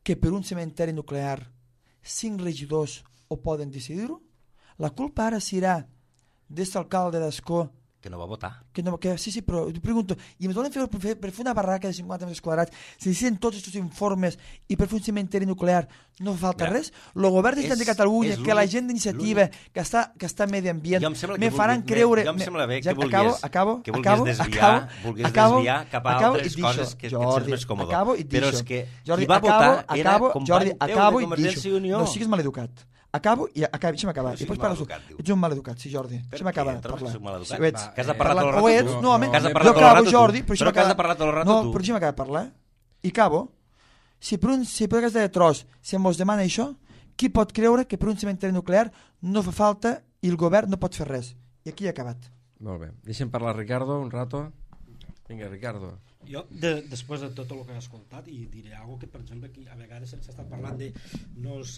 que per un cementeri nuclear cinc regidors ho poden decidir-ho? La culpa ara serà d'aquest alcalde d'Ascó que no va votar. Que no, que, sí, sí, però t'ho pregunto, i em volen fer per, fer per fer una barraca de cinquanta metres quadrats, si necessiten tots aquests informes i per fer un cementeri nuclear no fa falta Mira, res? El govern de, de Catalunya, que la gent d'iniciativa, que està, que està a medi ambient, me faran vulgui, creure... Jo em sembla bé ja, que vulguis, acabo, acabo, que vulguis acabo, desviar, acabo, vulguis acabo, desviar cap a acabo, altres coses que, Jordi, que et sents més còmode. Acabo i Però és deixo. que Jordi, qui va acabo, votar era acabo, company Jordi, teu acabo de Convergència i Unió. No siguis maleducat. Acabo i acabo, deixa'm acabar. No I pots siguis parlar. maleducat, diu. Ets un maleducat, sí, Jordi. Per Deixa'm què? acabar. Trobes que Parlar. soc maleducat? Sí, ho ets. Va, que has de parlar Parla- tot el ho rato ets, tu. no, home, Que has de jo parlar tot el acabo, rato tu. Jordi, però Però deixa'm que has de acabar. parlar tot el rato no, tu. però deixa'm acabar de parlar. I acabo. Si per un si per cas de tros se mos demana això, qui pot creure que per un cementeri nuclear no fa falta i el govern no pot fer res? I aquí he acabat. Molt bé. Deixem parlar Ricardo un rato. Vinga, Ricardo. Jo, de, després de tot el que he escoltat, i diré alguna que, per exemple, aquí a vegades s'ha estat parlant de no els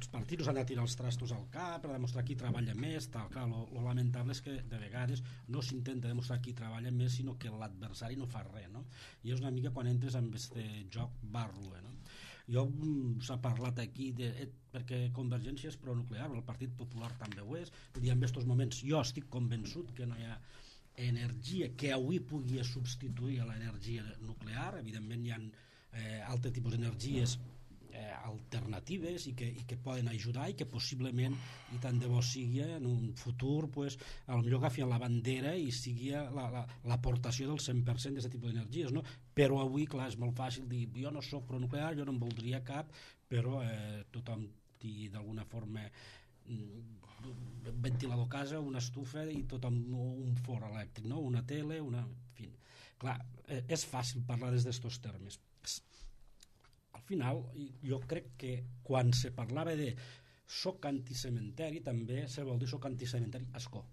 partits no s'han de tirar els trastos al cap per demostrar qui treballa més, tal. Clar, lo, lo lamentable és que de vegades no s'intenta demostrar qui treballa més, sinó que l'adversari no fa res, no? I és una mica quan entres en aquest joc barro, no? Jo s'ha parlat aquí de, eh, perquè Convergència és pronuclear, el Partit Popular també ho és, i en aquests moments jo estic convençut que no hi ha energia que avui pugui substituir a l'energia nuclear. Evidentment hi ha eh, altres tipus d'energies eh, alternatives i que, i que poden ajudar i que possiblement, i tant de bo sigui en un futur, pues, a lo millor agafin la bandera i sigui l'aportació la, la, del cent per cent d'aquest tipus d'energies, no? Però avui, clar, és molt fàcil dir jo no soc pronuclear, jo no en voldria cap, però eh, tothom té d'alguna forma un ventilador a casa, una estufa i tot amb un forn elèctric, no? Una tele, una... En fi. Clar, és fàcil parlar des d'estos termes. Al final, jo crec que quan se parlava de soc anticementeri, també se vol dir soc anticementeri a Ascó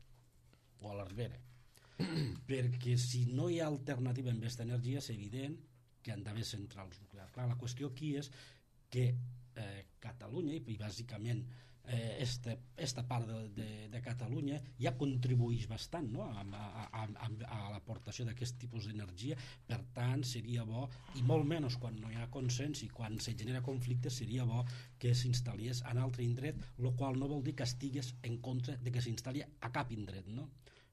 o a l'Arbera. Perquè si no hi ha alternativa amb aquesta energia, és evident que han d'haver centrals nuclears. Clar, la qüestió aquí és que eh, Catalunya, i bàsicament Eh, esta, esta part de, de, de Catalunya ja contribueix bastant, no? a, a, a, a l'aportació d'aquest tipus d'energia. Per tant, seria bo, i molt menys quan no hi ha consens i quan se genera conflicte, seria bo que s'instal·lies en altre indret, el qual no vol dir que estigues en contra de que s'instal·li a cap indret, no?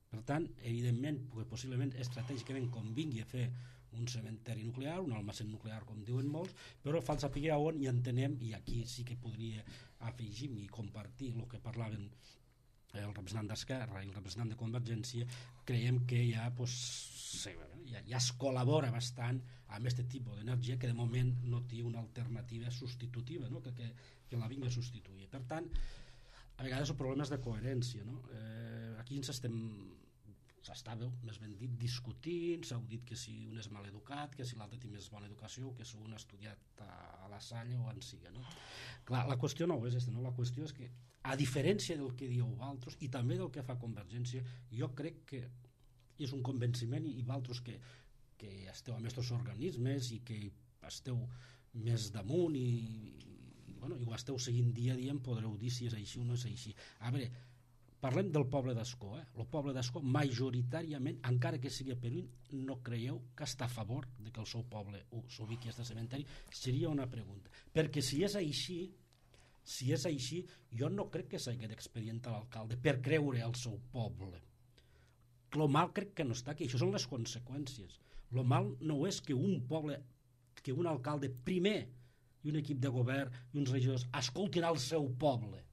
Per tant, evidentment, possiblement estratègicament convingui a fer un cementeri nuclear, un almacén nuclear, com diuen molts, però fa saber on i entenem, i aquí sí que podria afegir i compartir el que parlaven el representant d'Esquerra i el representant de Convergència. Creiem que ja, pues, sí, ja, ja es col·labora bastant amb aquest tipus d'energia que de moment no té una alternativa substitutiva, no? que, que, que la vingui a substituir. Per tant, a vegades el problema és de coherència, no? Eh, aquí ens estem s'estava, més ben dit, discutint, s'ha dit que si un és mal educat, que si l'altre té més bona educació, que si un ha estudiat a la Salle o en siga, no? Clar, la qüestió no és aquesta, no? La qüestió és que, a diferència del que dieu vosaltres, i també del que fa Convergència, jo crec que és un convenciment, i vosaltres que, que esteu amb aquests organismes i que esteu més damunt i, i, bueno, i ho esteu seguint dia a dia, em podreu dir si és així o no és així. A veure, parlem del poble d'Ascó. Eh? El poble d'Ascó, majoritàriament, encara que sigui a Perú, no creieu que està a favor de que el seu poble s'ubiqui a aquest cementeri? Seria una pregunta. Perquè si és així, si és així, jo no crec que s'hagi d'expedientar l'alcalde per creure al seu poble. Lo mal crec que no està aquí. Això són les conseqüències. Lo mal no és que un poble, que un alcalde primer i un equip de govern i uns regidors escoltin al seu poble.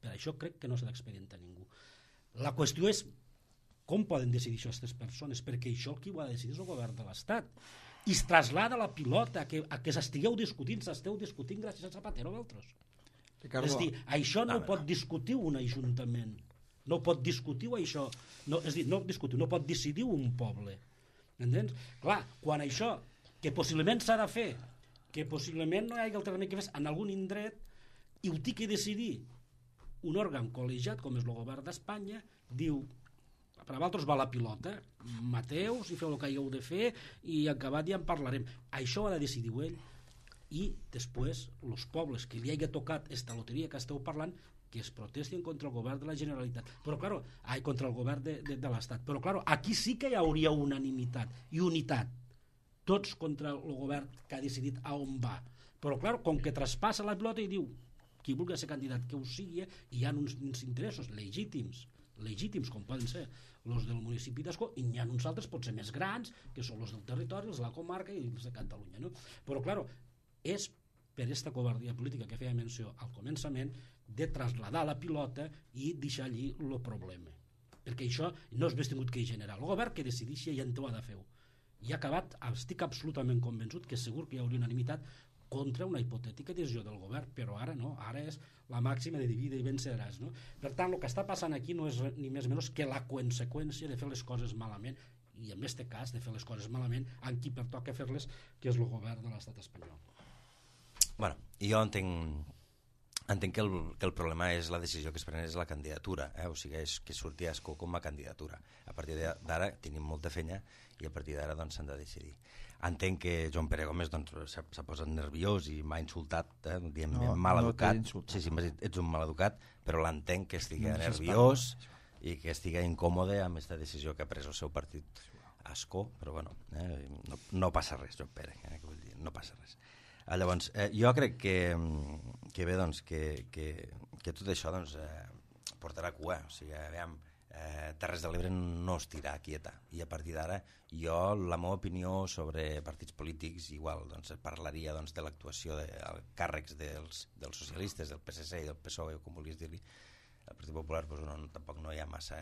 Per això crec que no s'ha d'expedientar ningú. La qüestió és com poden decidir això aquestes persones, perquè això el qui ho ha de decidir és el govern de l'Estat. I es traslada la pilota a que, a que s'estigueu discutint, s'esteu discutint gràcies a Zapatero o altres. Ricardo. És a dir, això no, no ho pot discutir un ajuntament. No pot discutir això. No, és a dir, no discutir, no pot decidir un poble. Entens? Clar, quan això, que possiblement s'ha de fer, que possiblement no hi hagi alternativa que fes en algun indret, i ho té que decidir un òrgan col·legiat com és el govern d'Espanya, diu per a vosaltres va la pilota, mateus i feu el que hagueu de fer i acabat ja en parlarem. Això ha de decidir ell, i després els pobles que li hagi tocat esta loteria que esteu parlant, que es protestin contra el govern de la Generalitat, però claro, ai, contra el govern de, de, de l'Estat, però claro, aquí sí que hi hauria unanimitat i unitat, tots contra el govern que ha decidit a on va. Però, clar, com que traspassa la pilota i diu qui vulgui ser candidat que ho sigui, hi ha uns, uns interessos legítims, legítims com poden ser els del municipi d'Ascó, i n'hi ha uns altres potser més grans, que són els del territori, els de la comarca i els de Catalunya. No? Però, clar, és per aquesta covardia política que feia menció al començament de trasladar la pilota i deixar allí el problema. Perquè això no és més tingut que generar. El govern que decideixi i en ho ha de fer. I ha acabat, estic absolutament convençut que segur que hi hauria unanimitat contra una hipotètica decisió del govern, però ara no, ara és la màxima de divide i venceràs. No? Per tant, el que està passant aquí no és ni més ni menys que la conseqüència de fer les coses malament, i en aquest cas de fer les coses malament amb qui pertoca fer-les, que és el govern de l'estat espanyol. Bueno, jo entenc, entenc que, el, que el problema és la decisió que es pren és la candidatura, eh? O sigui, és que surti a Ascó com a candidatura. A partir d'ara tenim molta feina i a partir d'ara doncs, s'han de decidir. Entenc que Joan Pere Gómez doncs, s'ha posat nerviós i m'ha insultat, eh? Diem, no, mal educat. No sí, sí, ets un mal educat, però l'entenc que estigui no, nerviós i que estigui incòmode amb aquesta decisió que ha pres el seu partit a Ascó, però bueno, eh? no, no passa res, Joan Pere, eh? Vull dir, no passa res. Eh, llavors, eh, jo crec que, que bé, doncs, que, que, que tot això doncs, eh, portarà cua, o sigui, aviam, eh, Terres de l'Ebre no es tira quieta, i a partir d'ara jo, la meva opinió sobre partits polítics, igual, doncs, parlaria doncs, de l'actuació de, de càrrecs dels, dels socialistes, del P S C i del P S O E, com vulguis dir-li. El Partit Popular doncs, no, tampoc no hi ha massa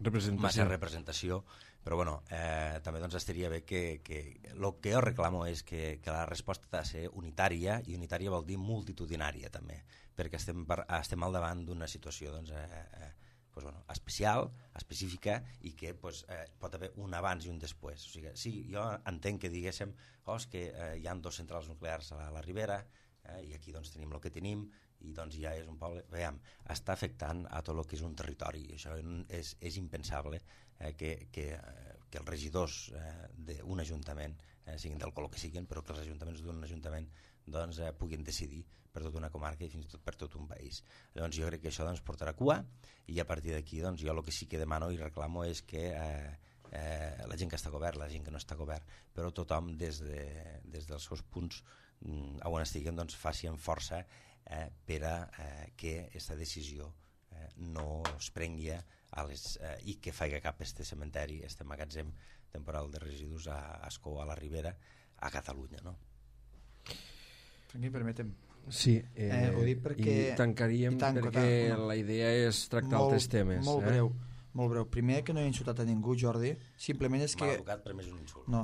representació, massa representació, però bueno, eh, també doncs, estaria bé que, que el que jo reclamo és que, que la resposta ha de ser unitària, i unitària vol dir multitudinària també, perquè estem, per, estem al davant d'una situació doncs, eh, eh, pues, bueno, especial, específica, i que pues, eh, pot haver un abans i un després. O sigui, sí, jo entenc que diguéssim oh, que eh, hi ha dos centrals nuclears a la, a la Ribera, eh, i aquí doncs, tenim el que tenim, i doncs ja és un poble, veiem, està afectant a tot el que és un territori, i això és, és impensable eh, que, que, que els regidors eh, d'un ajuntament, eh, siguin del color que siguin, però que els ajuntaments d'un ajuntament doncs, eh, puguin decidir per tota una comarca i fins i tot per tot un país. Llavors jo crec que això doncs, portarà cua, i a partir d'aquí doncs, jo el que sí que demano i reclamo és que eh, eh, la gent que està a govern, la gent que no està a govern, però tothom des, de, des dels seus punts mm, on estiguen doncs, faci amb força eh, per a eh, que aquesta decisió eh, no es prengui a les, eh, i que faci cap este cementeri, este magatzem temporal de residus a Ascó, a la Ribera, a Catalunya, no? Franqui, permetem. Sí, eh, eh, ho dic perquè... i tancaríem i tanco, perquè tanco, no. La idea és tractar molt, altres temes. Molt eh? breu, molt breu. Primer, que no he insultat a ningú, Jordi, simplement és que... Mal educat, però més un insult. No,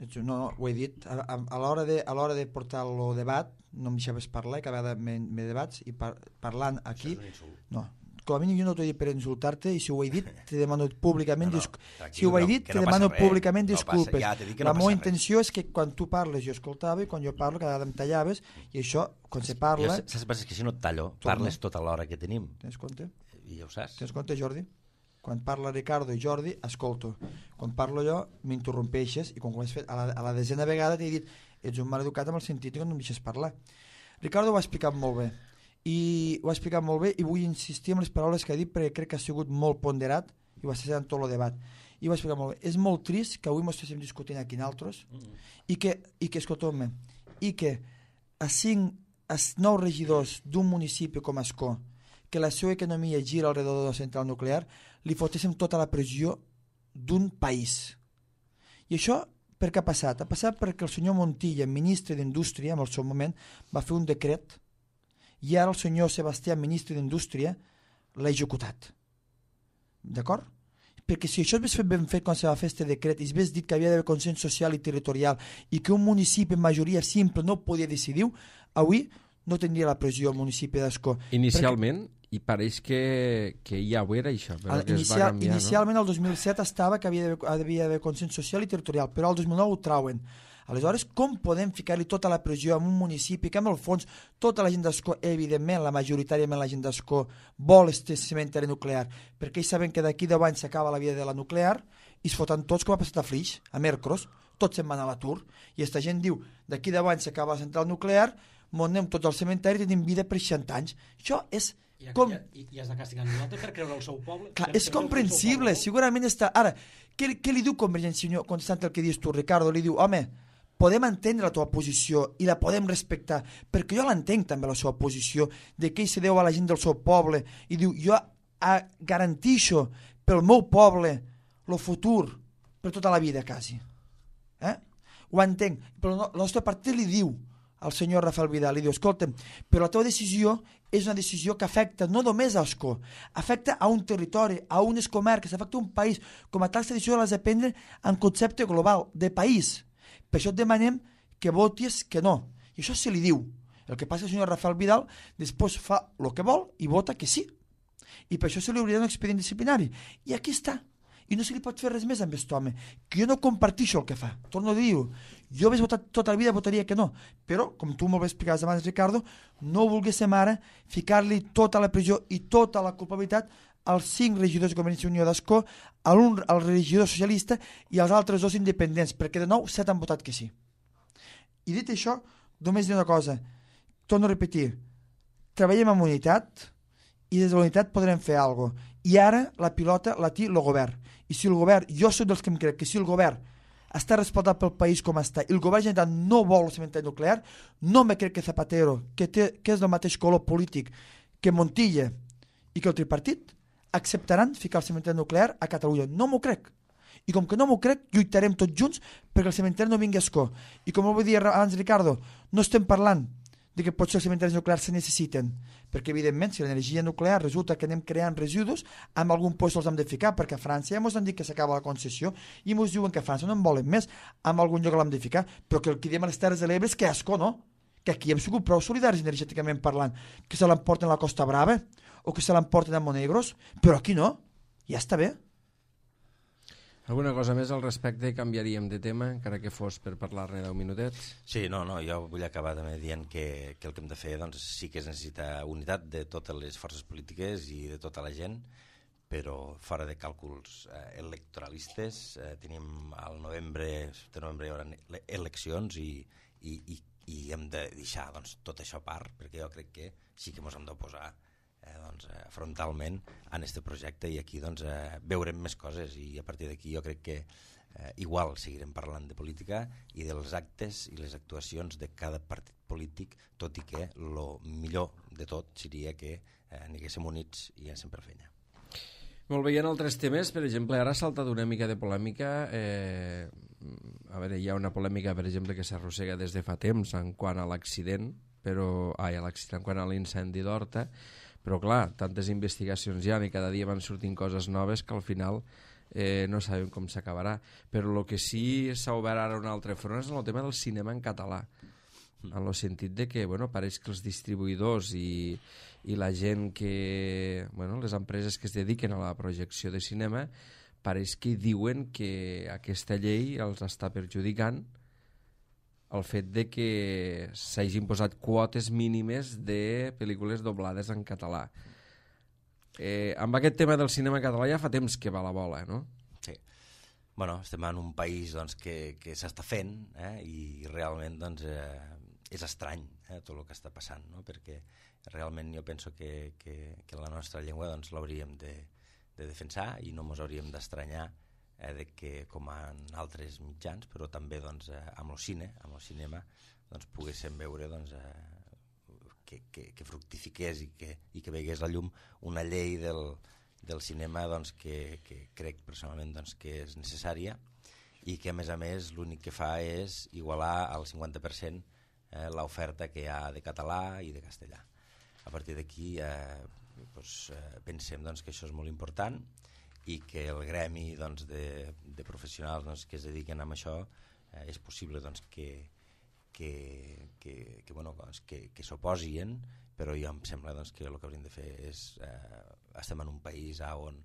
no, no ho he dit. A, a, a l'hora de, a l'hora de portar el debat, no em deixaves parlar, i cada vegada me, me debats, i par, parlant aquí... Això és un insult. No, com a mínim jo no t'ho he dit per insultar-te, i si ho he dit te demano públicament no, no, disculpes. Si ho he dit no, te no demano públicament res, disculpes. No passa, ja la no meva intenció és que quan tu parles jo escoltava, i quan jo parlo cada vegada em tallaves, i això, quan se parla... Jo, saps és que si no et tallo, parles tota l'hora que tenim. Tens compte? I ja ho saps. Tens compte, Jordi? Quan parla Ricardo i Jordi, escolto. Quan parlo jo, m'interrompeixes, i quan ho has fet a la, a la desena vegada t'he dit ets un mal educat amb el sentit que no em deixes parlar. Ricardo ho ha explicat molt bé. I ho ha explicat molt bé, i vull insistir en les paraules que ha dit perquè crec que ha sigut molt ponderat i ho ha estat en tot el debat, i ho ha explicat molt bé. És molt trist que avui ens estiguem discutint aquí nosaltres mm-hmm. i que, i que escolteu-me, i que a cinc, a nou regidors d'un municipi com Ascó, que la seva economia gira al redor de la central nuclear, li fotéssim tota la pressió d'un país. I això per què ha passat? Ha passat perquè el senyor Montilla, ministre d'Indústria, en el seu moment, va fer un decret, i ara el senyor Sebastià, ministre d'Indústria, l'ha executat. D'acord? Perquè si això es fet ben fet quan se va fer aquest decret i es ves dit que havia d'haver consens social i territorial i que un municipi en majoria simple no podia decidir, avui no tindria la pressió al municipi d'Ascó. Inicialment, perquè... i pareix que, que ja ho era això, però que Inicial, es va canviar, inicialment no? el dos mil set estava que havia d'haver consens social i territorial, però el dos mil nou ho trauen. Aleshores, com podem ficar-li tota la pressió en un municipi que, en el fons, tota la gent d'Ascó, evidentment, la majoritàriament la gent d'Ascó, vol este cementeri nuclear, perquè ells saben que d'aquí deu anys s'acaba la vida de la nuclear i es foten tots, com ha passat a Flix, a Mercros, tots se'n van a l'atur, i aquesta gent diu, d'aquí deu anys s'acaba la central nuclear, m'ho anem tots al cementeri i tenim vida per seixanta anys. Això és I, Com... i, i has de castigar nosaltres per creure el seu poble. Clar, és comprensible, segurament està... Ara, què, què li diu Convergència i Unió, constant el que dius tu, Ricardo? Li diu, home, podem entendre la teva posició i la podem respectar, perquè jo l'entenc també la seva posició, de que ell se deu a la gent del seu poble, i diu, jo a, garantixo pel meu poble el futur per tota la vida, quasi. Eh? Ho entenc, però no, el nostre partit li diu al senyor Rafael Vidal, li diu, escolta'm, però la teva decisió és una decisió que afecta no només a Ascó, afecta a un territori, a unes comarques, afecta a un país. Com a tal, aquesta decisió l'has de prendre en concepte global, de país. Per això et demanem que votis que no. I això se li diu. El que passa és que el senyor Rafael Vidal després fa el que vol i vota que sí. I per això se li hauria un expedient disciplinari. I aquí està. I no se li pot fer res més amb aquest home, que jo no compartixo el que fa. Torno a dir-ho, jo hagués votat tota la vida, votaria que no, però, com tu molt bé explicaves abans, Ricardo, no volguéssim ara ficar-li tota la pressió i tota la culpabilitat als cinc regidors de Convergència i Unió d'Ascó, al, al regidor socialista i als altres dos independents, perquè de nou set han votat que sí. I dit això, només dir una cosa, torno a repetir, treballem amb unitat i des de la unitat podrem fer alguna cosa. I ara la pilota la té el govern. I si el govern, jo soc dels que em crec que si el govern està respaldat pel país com està i el govern general no vol el cementeri nuclear, no me crec que Zapatero, que, té, que és del mateix color polític que Montilla i que el tripartit, acceptaran ficar el cementeri nuclear a Catalunya. No m'ho crec. I com que no m'ho crec, lluitarem tots junts perquè el cementeri no vingui a Ascó. I com ho vull dir abans, Ricardo, no estem parlant de que potser els cementaris nuclears se necessiten, perquè evidentment si l'energia nuclear resulta que anem creant residus, amb algun lloc els hem de ficar, perquè a França ja ens han dit que s'acaba la concessió i ens diuen que a França no en volen més, amb algun lloc l'hem de ficar, però que el que diem a les Terres de l'Ebre és que Ascó, no? Que aquí hem sigut prou solidaris energèticament parlant, que se l'emporten a la Costa Brava o que se l'emporten a Monegros, però aquí no, ja està bé. Alguna cosa més al respecte? Canviaríem de tema, encara que fos per parlar-ne deu minutets? Sí, no, no, jo vull acabar també dient que, que el que hem de fer doncs, sí que es necessita unitat de totes les forces polítiques i de tota la gent, però fora de càlculs eh, electoralistes. Eh, tenim al novembre, de novembre hi haurà eleccions i, i, i, i hem de deixar doncs, tot això a part, perquè jo crec que sí que ens hem d'oposar Eh, doncs, eh, frontalment en aquest projecte i aquí doncs, eh, veurem més coses i a partir d'aquí jo crec que eh, igual seguirem parlant de política i dels actes i les actuacions de cada partit polític, tot i que el millor de tot seria que eh, aniguéssim units i anéssim per feina. Molt bé, hi ha altres temes, per exemple, ara ha saltat una mica de polèmica, eh, a veure, hi ha una polèmica, per exemple, que s'arrossega des de fa temps en quant a l'accident, però, ai, a l'accident, en quant a l'incendi d'Horta, però clar, tantes investigacions hi ha i cada dia van sortint coses noves que al final eh, no sabem com s'acabarà. Però el que sí s'ha obert ara un altre front és el tema del cinema en català, en el sentit de que bueno, pareix que els distribuïdors i, i la gent que... Bueno, les empreses que es dediquen a la projecció de cinema pareix que diuen que aquesta llei els està perjudicant el fet de que s'hagin posat quotes mínimes de pel·lícules doblades en català. Eh, amb aquest tema del cinema català ja fa temps que va la bola, no? Sí. Bueno, estem en un país doncs, que, que s'està fent eh, i realment doncs, eh, és estrany eh, tot el que està passant, no? Perquè realment jo penso que, que, que la nostra llengua doncs, l'hauríem de, de defensar i no ens hauríem d'estranyar eh, de que com en altres mitjans, però també doncs, eh, amb el cine, amb el cinema, doncs, poguéssim veure doncs, eh, que, que, que fructifiqués i que, i que vegués la llum una llei del, del cinema doncs, que, que crec personalment doncs, que és necessària i que a més a més l'únic que fa és igualar al cinquanta per cent eh, l'oferta que hi ha de català i de castellà. A partir d'aquí eh, doncs, eh, pensem doncs, que això és molt important i que el gremi doncs, de, de professionals doncs, que es dediquen a això eh, és possible doncs, que, que, que, que, bueno, doncs, que, que s'oposien, però jo em sembla doncs, que el que hauríem de fer és eh, estem en un país on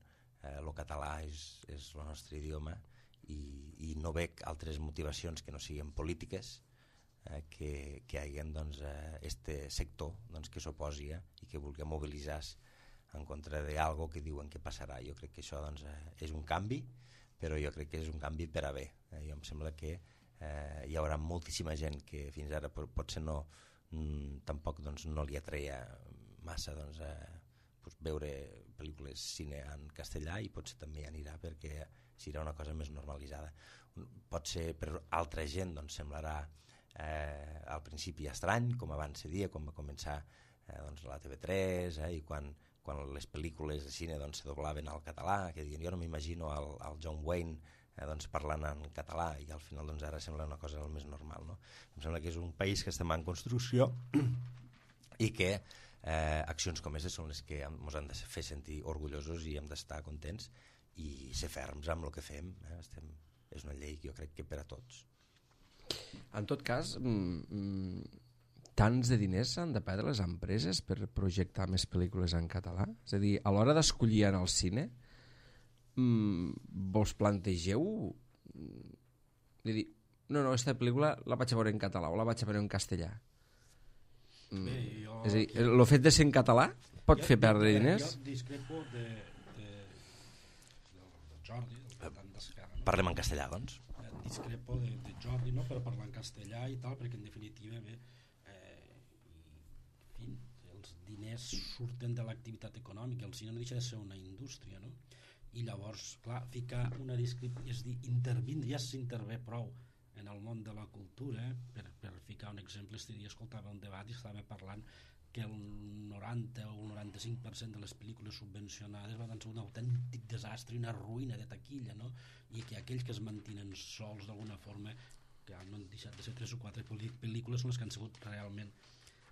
eh, el català és, és el nostre idioma i, i no veig altres motivacions que no siguin polítiques eh, que, que hi hagi doncs, eh, este sector doncs, que s'oposi eh, i que vulgui mobilitzar en contra d'algo que diuen que passarà. Jo crec que això doncs, és un canvi, però jo crec que és un canvi per a bé. Eh? Jo em sembla que eh, hi haurà moltíssima gent que fins ara potser no, mm, tampoc doncs, no li atreia massa doncs, eh, pues, veure pel·lícules cine en castellà i potser també anirà perquè serà una cosa més normalitzada. Pot ser per altra gent, doncs semblarà eh, al principi estrany, com abans se dia, quan va començar eh, doncs, la T V tres eh, i quan, quan les pel·lícules de cine doncs, se doblaven al català, que diuen, jo no m'imagino el, el John Wayne eh, doncs, parlant en català i al final doncs, ara sembla una cosa més normal. No? Em sembla que és un país que estem en construcció i que eh, accions com aquestes són les que ens han de fer sentir orgullosos i hem d'estar contents i ser ferms amb el que fem. Eh? Estem, és una llei que jo crec que per a tots. En tot cas, mm, tants de diners s'han de perdre les empreses per projectar més pel·lícules en català? És a dir, a l'hora d'escollir en el cine, mm, vos plantegeu de dir, no, no, aquesta pel·lícula la vaig a veure en català o la vaig a veure en castellà? Mm, Bé, jo... És a dir, el fet de ser en català pot jo, fer perdre jo, diners? Jo discrepo de, de, de Jordi, del tant d'Esquerra. No? Parlem en castellà, doncs. Discrepo de, de Jordi, no? Per parlar en castellà i tal, perquè en definitiva bé, eh, i, en fi, els diners surten de l'activitat econòmica, el cine no deixa de ser una indústria, no? I llavors, clar, ficar una descripció, és dir, intervindre, ja s'intervé prou en el món de la cultura, eh? per, per ficar un exemple, este dia escoltava un debat i estava parlant que el noranta o el noranta-cinc per cent de les pel·lícules subvencionades van ser un autèntic desastre i una ruïna de taquilla, no? I que aquells que es mantenen sols d'alguna forma, que no han deixat de ser tres o quatre pel·lícules, són les que han sigut realment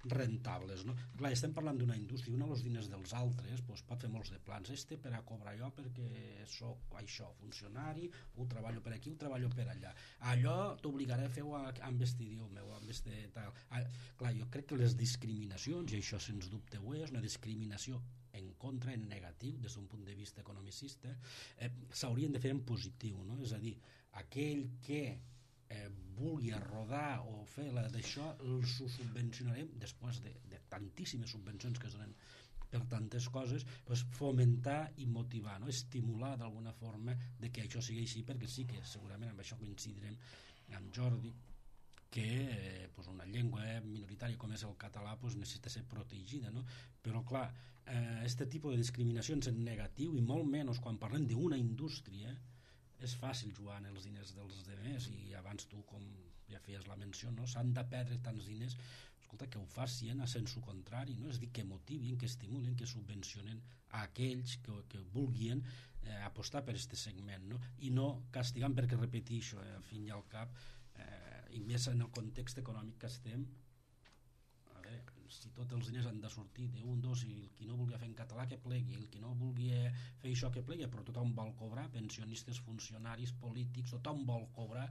rentables, no? Clar, estem parlant d'una indústria, una dels diners dels altres doncs pot fer molts de plans, este per a cobrar jo perquè soc això, funcionari, ho treballo per aquí, ho treballo per allà, allò t'obligaré a fer-ho amb este idioma o amb este tal. Ah, clar, jo crec que les discriminacions, i això sens dubte ho és, una discriminació en contra, en negatiu, des d'un punt de vista economicista, eh, s'haurien de fer en positiu, no? És a dir, aquell que eh, vulgui rodar o fer la d'això, els ho subvencionarem després de, de tantíssimes subvencions que es donen per tantes coses, doncs fomentar i motivar, no? Estimular d'alguna forma de que això sigui així, perquè sí que segurament amb això coincidirem amb Jordi, que eh, pues una llengua eh, minoritària com és el català pues necessita ser protegida, no? Però clar, eh, este tipus de discriminacions en negatiu, i molt menys quan parlem d'una indústria, és fàcil jugar en els diners dels demés, i abans tu, com ja feies la menció, no? S'han de perdre tants diners, escolta, que ho facin a sensu contrari, no? És dir, que motivin, que estimulen, que subvencionen a aquells que, que vulguin eh, apostar per aquest segment, no? I no castigant, perquè repeteixo, eh, al fin i al cap, eh, i més en el context econòmic que estem, a veure, si tots els diners han de sortir d'un, dos, i el qui no vulgui fer en català que plegui, el qui no vulgui fer això que plegui, però tothom vol cobrar, pensionistes, funcionaris, polítics, tothom vol cobrar,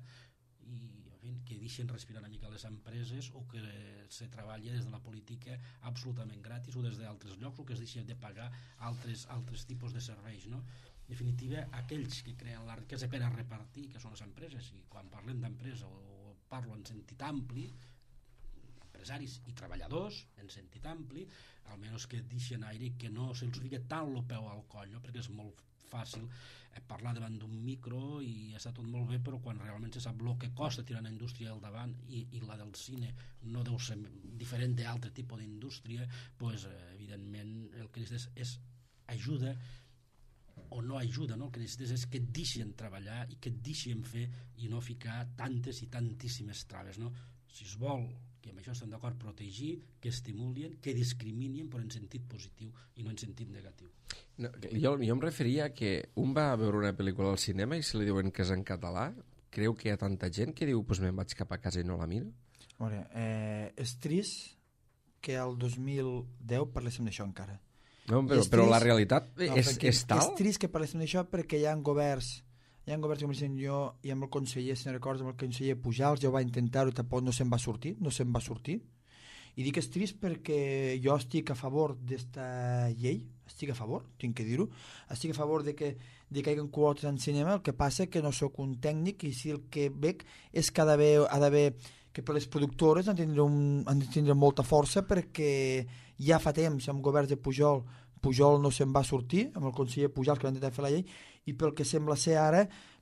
i en fi, que deixen respirar una mica les empreses, o que se treballi des de la política absolutament gratis, o des d'altres llocs, o que es deixi de pagar altres, altres tipus de serveis, no? En definitiva, aquells que creen la riquesa per a repartir, que són les empreses, i quan parlem d'empresa o parlo en sentit ampli, empresaris i treballadors en sentit ampli, almenys que deixen aire, que no se'ls fica tant el peu al coll, no? Perquè és molt fàcil eh, parlar davant d'un micro i està tot molt bé, però quan realment se sap el que costa tirar una indústria al davant, i, i la del cine no deu ser diferent d'altre tipus d'indústria, pues, eh, evidentment el que necessites és ajuda o no ajuda, no? El que necessites és que et deixen treballar i que et deixen fer, i no ficar tantes i tantíssimes traves, no? Si es vol, que amb això estem d'acord, protegir, que estimulin, que discriminin, però en sentit positiu i no en sentit negatiu. No, jo, jo em referia a que un va a veure una pel·lícula al cinema i si li diuen que és en català, creu que hi ha tanta gent que diu pues me'n vaig cap a casa i no la miro? A veure, eh, és trist que el dos mil deu parléssim d'això encara. No, però, però la realitat no, és, és tal? És trist que parléssim d'això perquè hi ha governs hi ha governs com el jo i amb el conseller, si no recordes, amb el conseller Pujals, jo va intentar-ho i tampoc no se'n va sortir, no se'n va sortir. I dic que és trist perquè jo estic a favor d'esta llei, estic a favor, tinc que dir-ho, estic a favor de que, de que hi hagi quotes en cinema, el que passa que no sóc un tècnic, i si el que veig és que ha d'haver, que per les productores han de tindre, un, han de tindre molta força, perquè ja fa temps amb governs de Pujol Pujol no se'n va sortir, amb el conseller Pujol que va intentar fer la llei, i pel que sembla ser ara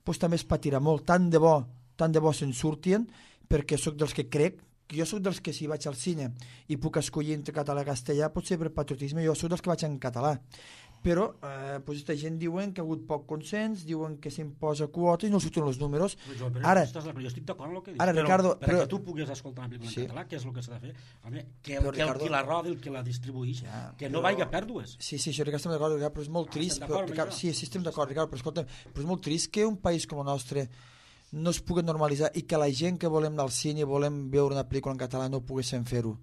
doncs també es patirà molt, tant de bo tant de bo se'n surtien, perquè sóc dels que crec jo sóc dels que si vaig al cine i puc escollir entre català i castellà, potser per patriotisme, jo sóc dels que vaig en català. Però eh, pues, aquesta gent diuen que ha hagut poc consens, diuen que s'imposa quota i no surten els números. Jo, però, ara, estàs, però jo estic d'acord amb el que dius, ara, però Ricardo, perquè però, tu puguis escoltar una pel·lícula sí. en català, què és el que s'ha de fer? Home, que, Però, que Ricardo, el qui la roda, el que la distribueix, ja, que però, no vagi a pèrdues. Sí, sí, això estem d'acord, Ricardo, però és molt Ah, trist. estem Però, d'acord, Ricardo, sí, sí, estem d'acord, Ricardo, però escolta, però és molt trist que un país com el nostre no es pugui normalitzar i que la gent que volem anar al cine i volem veure una pel·lícula en català no poguéssim fer-ho.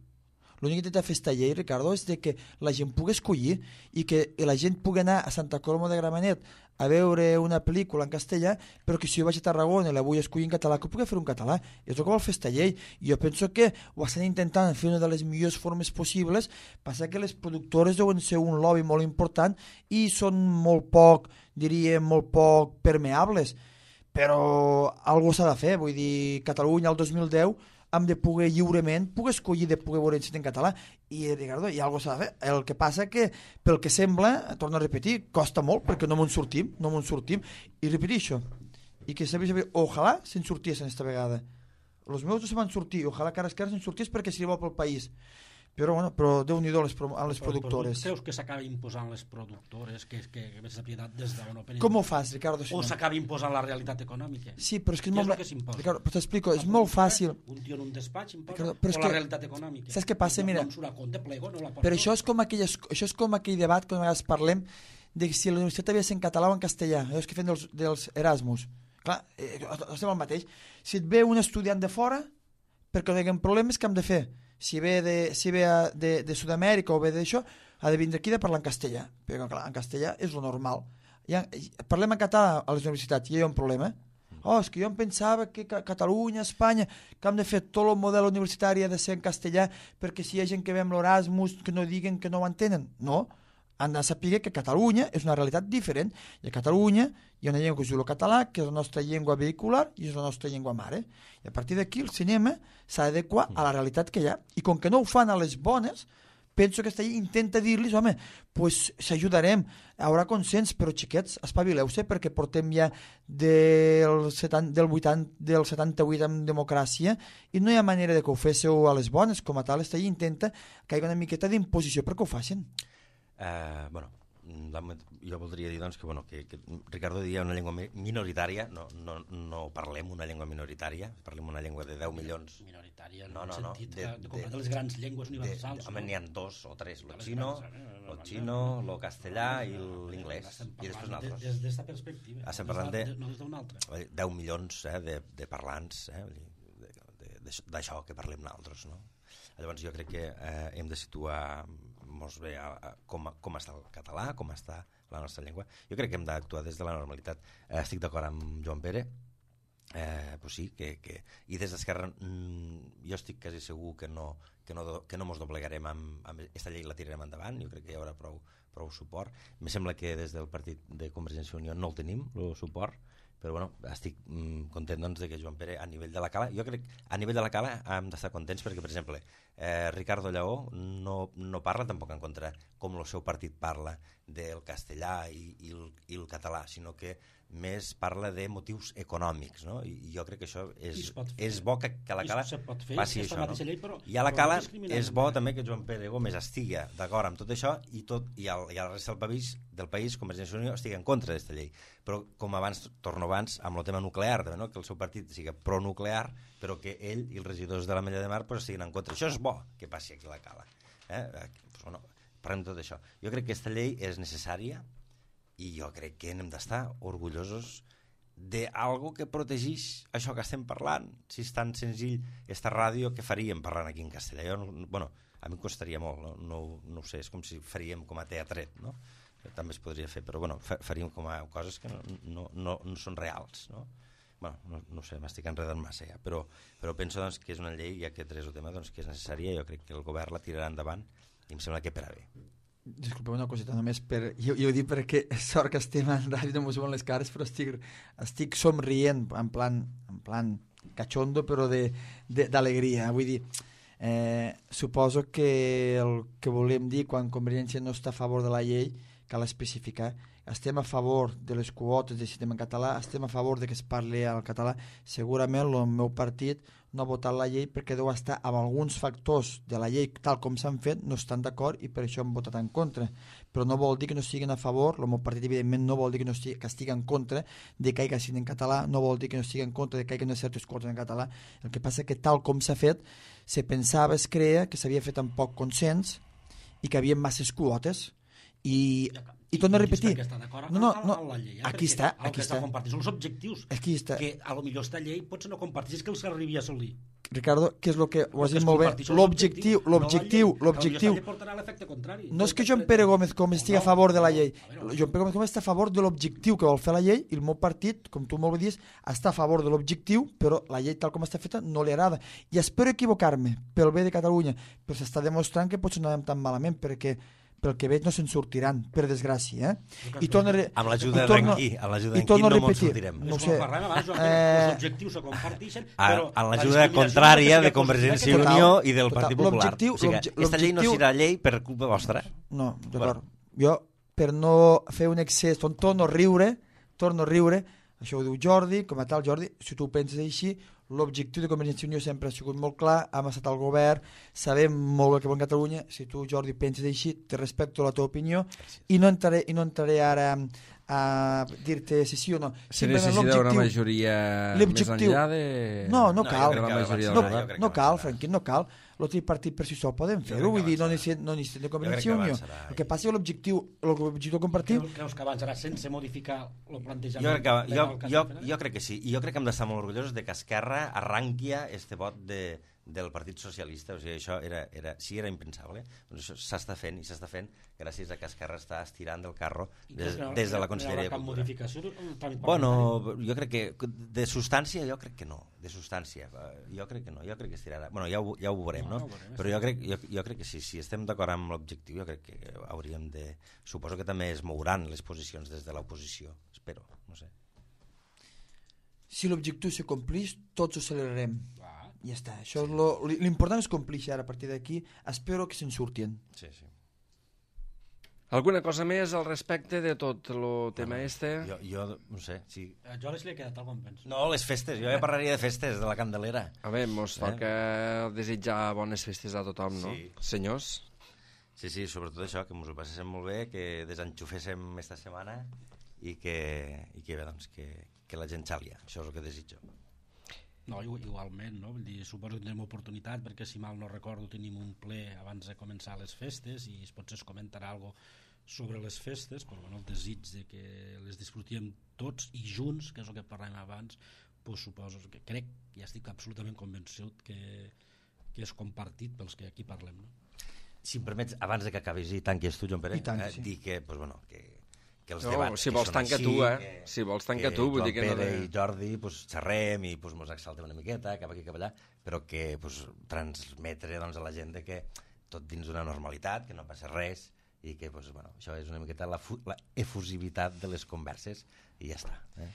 L'únic que intenta fer esta llei, Ricardo, és de que la gent pugui escollir i que la gent pugui anar a Santa Coloma de Gramenet a veure una pel·lícula en castellà, però que si jo vaig a Tarragona i la vull escollir en català, que pugui fer un català. És el que vol fer esta llei. I jo penso que ho estan intentant fer una de les millors formes possibles, passa que les productores deuen ser un lobby molt important i són molt poc, diríem, molt poc permeables. Però alguna s'ha de fer, vull dir, Catalunya el dos mil deu hem de poder lliurement, poder escollir de poder veure en català, i Ricardo, hi ha alguna cosa s'ha de fer. El que passa que, pel que sembla, torno a repetir, costa molt perquè no m'en sortim, no m'en sortim, i repetir això, i que sabia, sabia, ojalà se'n sortiessin esta vegada. Els meus no se van sortir, ojalà que ara es se'n sortís perquè seria bo pel país. Però, bueno, però Déu-n'hi-do a les, pro, a les però, productores. Però creus que s'acaba imposant les productores, que, que, que més propietat des d'on operen? Com ho fas, Ricardo? Si o no? s'acaba imposant la realitat econòmica? Sí, però és que és Què molt... és el que s'imposa? Ricardo, però t'explico, és molt fàcil. Un tio en un despatx imposa, Ricardo, però és o la que- realitat econòmica? saps què passa? No, Mira, no em surt a compte, plego, no la porto. però això és com, aquelles, això és com aquell debat que a vegades parlem de si la universitat havia de ser en català o en castellà, allò que fem dels, dels Erasmus. Clar, eh, estem al mateix. Si et ve un estudiant de fora, perquè no hi ha problemes, què hem de fer? Si ve de, si ve a, de, de Sud-amèrica o ve d'això, ha de vindre aquí de parlar en castellà, perquè clar, en castellà és lo normal. Ja, parlem en català a les universitats, i hi ha un problema. Oh, és que jo em pensava que Catalunya, Espanya, que hem de fer tot el model universitari ha de ser en castellà, perquè si hi ha gent que ve amb l'Erasmus que no diguen que no ho entenen. No, han de saber que Catalunya és una realitat diferent, i a Catalunya hi ha una llengua que es diu el català, que és la nostra llengua vehicular i és la nostra llengua mare, i a partir d'aquí el cinema s'ha d'adequar a la realitat que hi ha, i com que no ho fan a les bones, penso que aquesta llei intenta dir-los, home, pues s'ajudarem, hi haurà consens, però xiquets, espavileu-se, perquè portem ja del, setanta, del, vuitanta, del setanta-vuit amb democràcia i no hi ha manera de que ho féssiu a les bones, com a tal, aquesta llei intenta que hi hagi una miqueta d'imposició perquè ho facin. Uh, bueno, la, jo voldria dir doncs, que, bueno, que, que Ricardo diria una llengua minoritària, no, no, no parlem una llengua minoritària, parlem una llengua de deu milions. Minoritària, no, en no, el no, sentit de, de, de, de, de les grans llengües universals. De, no? N'hi ha dos o tres, el Les xino, grans, eh? el xino, el castellà i l'inglès, i després nosaltres. Des d'esta perspectiva, Estem parlant de, no des d'una altra. deu milions eh, de, de parlants, eh, d'això que parlem nosaltres, no? Llavors jo crec que eh, hem de situar molt bé a, a, com, com està el català, com està la nostra llengua. Jo crec que hem d'actuar des de la normalitat. Eh, estic d'acord amb Joan Pere, eh, pues sí, que, que, i des d'Esquerra mm, jo estic quasi segur que no, que no, que no mos doblegarem amb, amb aquesta llei, la tirarem endavant, jo crec que hi haurà prou, prou suport. Me sembla que des del partit de Convergència i Unió no el tenim, el suport, però bueno, estic mm, content doncs, de que Joan Pere a nivell de la cala, jo crec a nivell de la cala hem d'estar contents perquè, per exemple, eh, Ricardo Lleó no, no parla tampoc en contra com el seu partit parla del castellà i, i, el, i el català, sinó que més parla de motius econòmics, no? I, i jo crec que això és, és bo que, que la cala faci això, no? Llei, però, i a la cala no és bo també que Joan Pere Gómez estigui d'acord amb tot això i, tot, i, el, i el resta del país, del país Convergència i Unió, estigui en contra d'aquesta llei. Però com abans, torno abans, amb el tema nuclear, també, no? Que el seu partit sigui pronuclear, però que ell i els regidors de la Mella de Mar pues, estiguin en contra. Això és bo que passi aquí a la cala. Eh? Pues, bueno, parlem de tot això. Jo crec que aquesta llei és necessària i jo crec que hem d'estar orgullosos d'algo que protegeix això que estem parlant. Si és tan senzill esta ràdio, què faríem parlant aquí en castellà? Jo, bueno, a mi em costaria molt, no, no, no ho sé, és com si faríem com a teatret, no? També es podria fer, però bueno, faríem com a coses que no, no, no, no són reals, no? Bueno, no, no sé, m'estic enredant massa ja, però, però penso doncs, que és una llei, ja que tres el tema, doncs, que és necessària, jo crec que el govern la tirarà endavant i em sembla que per a bé. Disculpeu una coseta només per... Jo, jo ho dic perquè sort que estem en ràdio, no m'ho veuen les cares, però estic, estic somrient en plan, en plan cachondo, però d'alegria. Vull dir, eh, suposo que el que volem dir quan Convergència no està a favor de la llei cal especificar estem a favor de les quotes de sistema en català, estem a favor de que es parli al català, segurament el meu partit no ha votat la llei perquè deu estar amb alguns factors de la llei tal com s'han fet, no estan d'acord i per això han votat en contra. Però no vol dir que no estiguin a favor, el meu partit evidentment no vol dir que no estigui, que estigui en contra de que hi hagi en català, no vol dir que no estigui en contra de que hi hagi certes quotes en català. El que passa que tal com s'ha fet, se pensava, es creia que s'havia fet amb poc consens i que hi havia masses quotes i... I torno a repetir, no, no, no, aquí està, aquí està. Són els objectius, aquí està. Que a lo millor esta llei potser no compartís que els arribi a assolir. Ricardo, què és el que ho has dit molt bé? L'objectiu, l'objectiu, l'objectiu. No és que Joan Pere Gómez com estigui a favor de la llei. Joan Pere Gómez està a favor de l'objectiu que vol fer la llei i el meu partit, com tu molt bé dius, està a favor de l'objectiu, però la llei tal com està feta no li agrada. I espero equivocar-me pel bé de Catalunya, però s'està demostrant que potser no anem tan malament perquè pel que veig no se'n sortiran, per desgràcia. Eh? I torno a... Amb l'ajuda d'Enqui, amb l'ajuda d'Enqui no ens sortirem. No sé. Els objectius se comparteixen, però... Amb l'ajuda contrària de Convergència i Unió i del Partit Popular. O sigui, aquesta llei no serà llei per culpa vostra. No, d'acord. Jo, per no fer un excés, torno a riure, torno a riure, això ho diu Jordi, com a tal, Jordi, si tu ho penses així, l'objectiu de Convergència i Unió sempre ha sigut molt clar, hem estat al govern, sabem molt el que vol Catalunya, si tu, Jordi, penses així, te respecto la teva opinió i no entraré, i no entraré ara a dir-te si sí o no. Si necessita una majoria més enllà de... No, no cal. No, no cal, Franquí, no cal. El tripartit per si sol podem fer-ho, vull dir, no necessitem de Convergència i Unió. El que passa és l'objectiu, l'objectiu compartit... Creus que avançarà sense modificar el plantejament? Jo crec que, jo, jo, jo crec que sí, i jo crec que hem d'estar molt orgullosos de que Esquerra arranqui este vot de, del Partit Socialista, o sigui, això era, era, sí era impensable, doncs això s'està fent, i s'està fent gràcies a que Esquerra està estirant del carro des, des de la Conselleria de Cultura. Modificació? Bueno, jo crec que de substància jo crec que no, de substància, jo crec que no, jo crec que estirarà, bueno, ja ho, ja ho veurem, no? Però jo crec, jo, jo crec que sí, si estem d'acord amb l'objectiu, jo crec que hauríem de... Suposo que també es mouran les posicions des de l'oposició, espero, no sé. Si l'objectiu se complix, tots ho celebrarem. Ja està, això és lo, l'important és complir ara a partir d'aquí, espero que se'n surtin. Sí, sí. Alguna cosa més al respecte de tot el tema bueno, este? Jo, jo no sé, sí. A Joles li ha quedat algun penso. No, les festes, jo ja parlaria de festes, de la Candelera. A veure, mos toca eh? desitjar bones festes a tothom, no? Sí. Senyors? Sí, sí, sobretot això, que ens ho passéssim molt bé, que desenxuféssim esta setmana i que, i que bé, doncs, que, que la gent xalia, això és el que desitjo. No, igualment, no? Vull dir, suposo que tindrem oportunitat perquè si mal no recordo tenim un ple abans de començar les festes i potser es comentarà alguna cosa sobre les festes, però bueno, el desig de que les disfrutíem tots i junts, que és el que parlàvem abans, pues suposo que crec, ja estic absolutament convençut que, que és compartit pels que aquí parlem, no? Si em permets, abans de que acabis i tanquis tu, Joan Pere, tant, eh, sí. dir que, pues, bueno, que que els no, debats si vols tanca tu, eh? Que, si vols tanca tu, vull dir que Joan no... Pere i Jordi pues, xerrem i pues, mos exaltem una miqueta, cap aquí, cap allà, però que pues, transmetre doncs, a la gent de que tot dins d'una normalitat, que no passa res, i que pues, bueno, això és una miqueta la, la efusivitat de les converses, i ja està. Eh?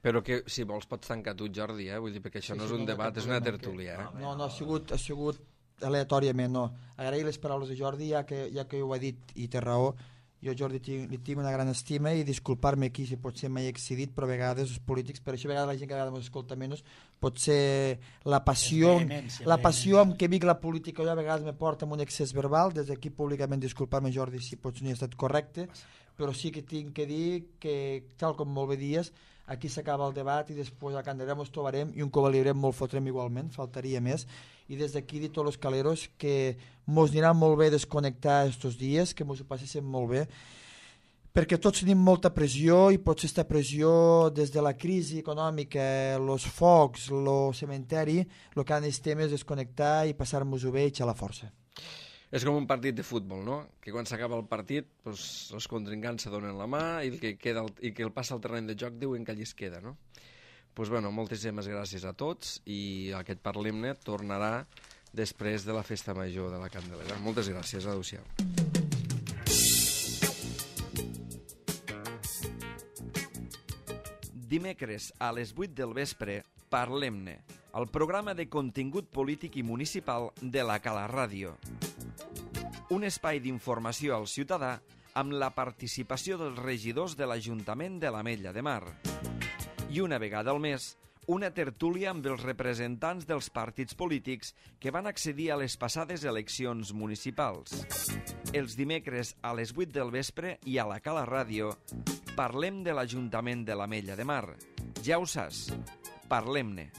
Però que si vols pots tancar tu, Jordi, eh? Vull dir, perquè això sí, no és un no debat, és una tertúlia. Eh? No, no, ha sigut, ha sigut aleatòriament, no. Agrair les paraules de Jordi, ja que, ja que ho ha dit i té raó. Jo, Jordi, li tinc una gran estima i disculpar-me aquí si potser m'he excedit, però a vegades els polítics, per això a vegades la gent que a vegades m'escolta menys, potser la passió, la passió amb què vic la política jo a vegades me porta amb un excés verbal, des d'aquí públicament disculpar-me, Jordi, si potser no he estat correcte, però sí que tinc que dir que, tal com molt bé dies, aquí s'acaba el debat i després a Candelera ens trobarem i un covalibrem molt fotrem igualment, faltaria més, i des d'aquí dir tots els caleros que mos anirà molt bé desconnectar estos dies, que mos ho passéssim molt bé, perquè tots tenim molta pressió i potser aquesta pressió des de la crisi econòmica, els focs, el cementeri, el que han estem és desconnectar i passar-nos-ho bé i eixar la força. És com un partit de futbol, no? Que quan s'acaba el partit, doncs, els contrincants se donen la mà i el que, queda, i que el passa al terreny de joc diuen que allí es queda, no? Doncs, bueno, moltíssimes gràcies a tots i aquest Parlem-ne tornarà després de la festa major de la Candelera. Moltes gràcies, adéu-siau. Dimecres a les vuit del vespre, Parlem-ne, el programa de contingut polític i municipal de la Cala Ràdio. Un espai d'informació al ciutadà amb la participació dels regidors de l'Ajuntament de l'Ametlla de Mar. I una vegada al mes, una tertúlia amb els representants dels partits polítics que van accedir a les passades eleccions municipals. Els dimecres a les vuit del vespre i a la Cala Ràdio parlem de l'Ajuntament de l'Ametlla de Mar. Ja ho saps, parlem-ne.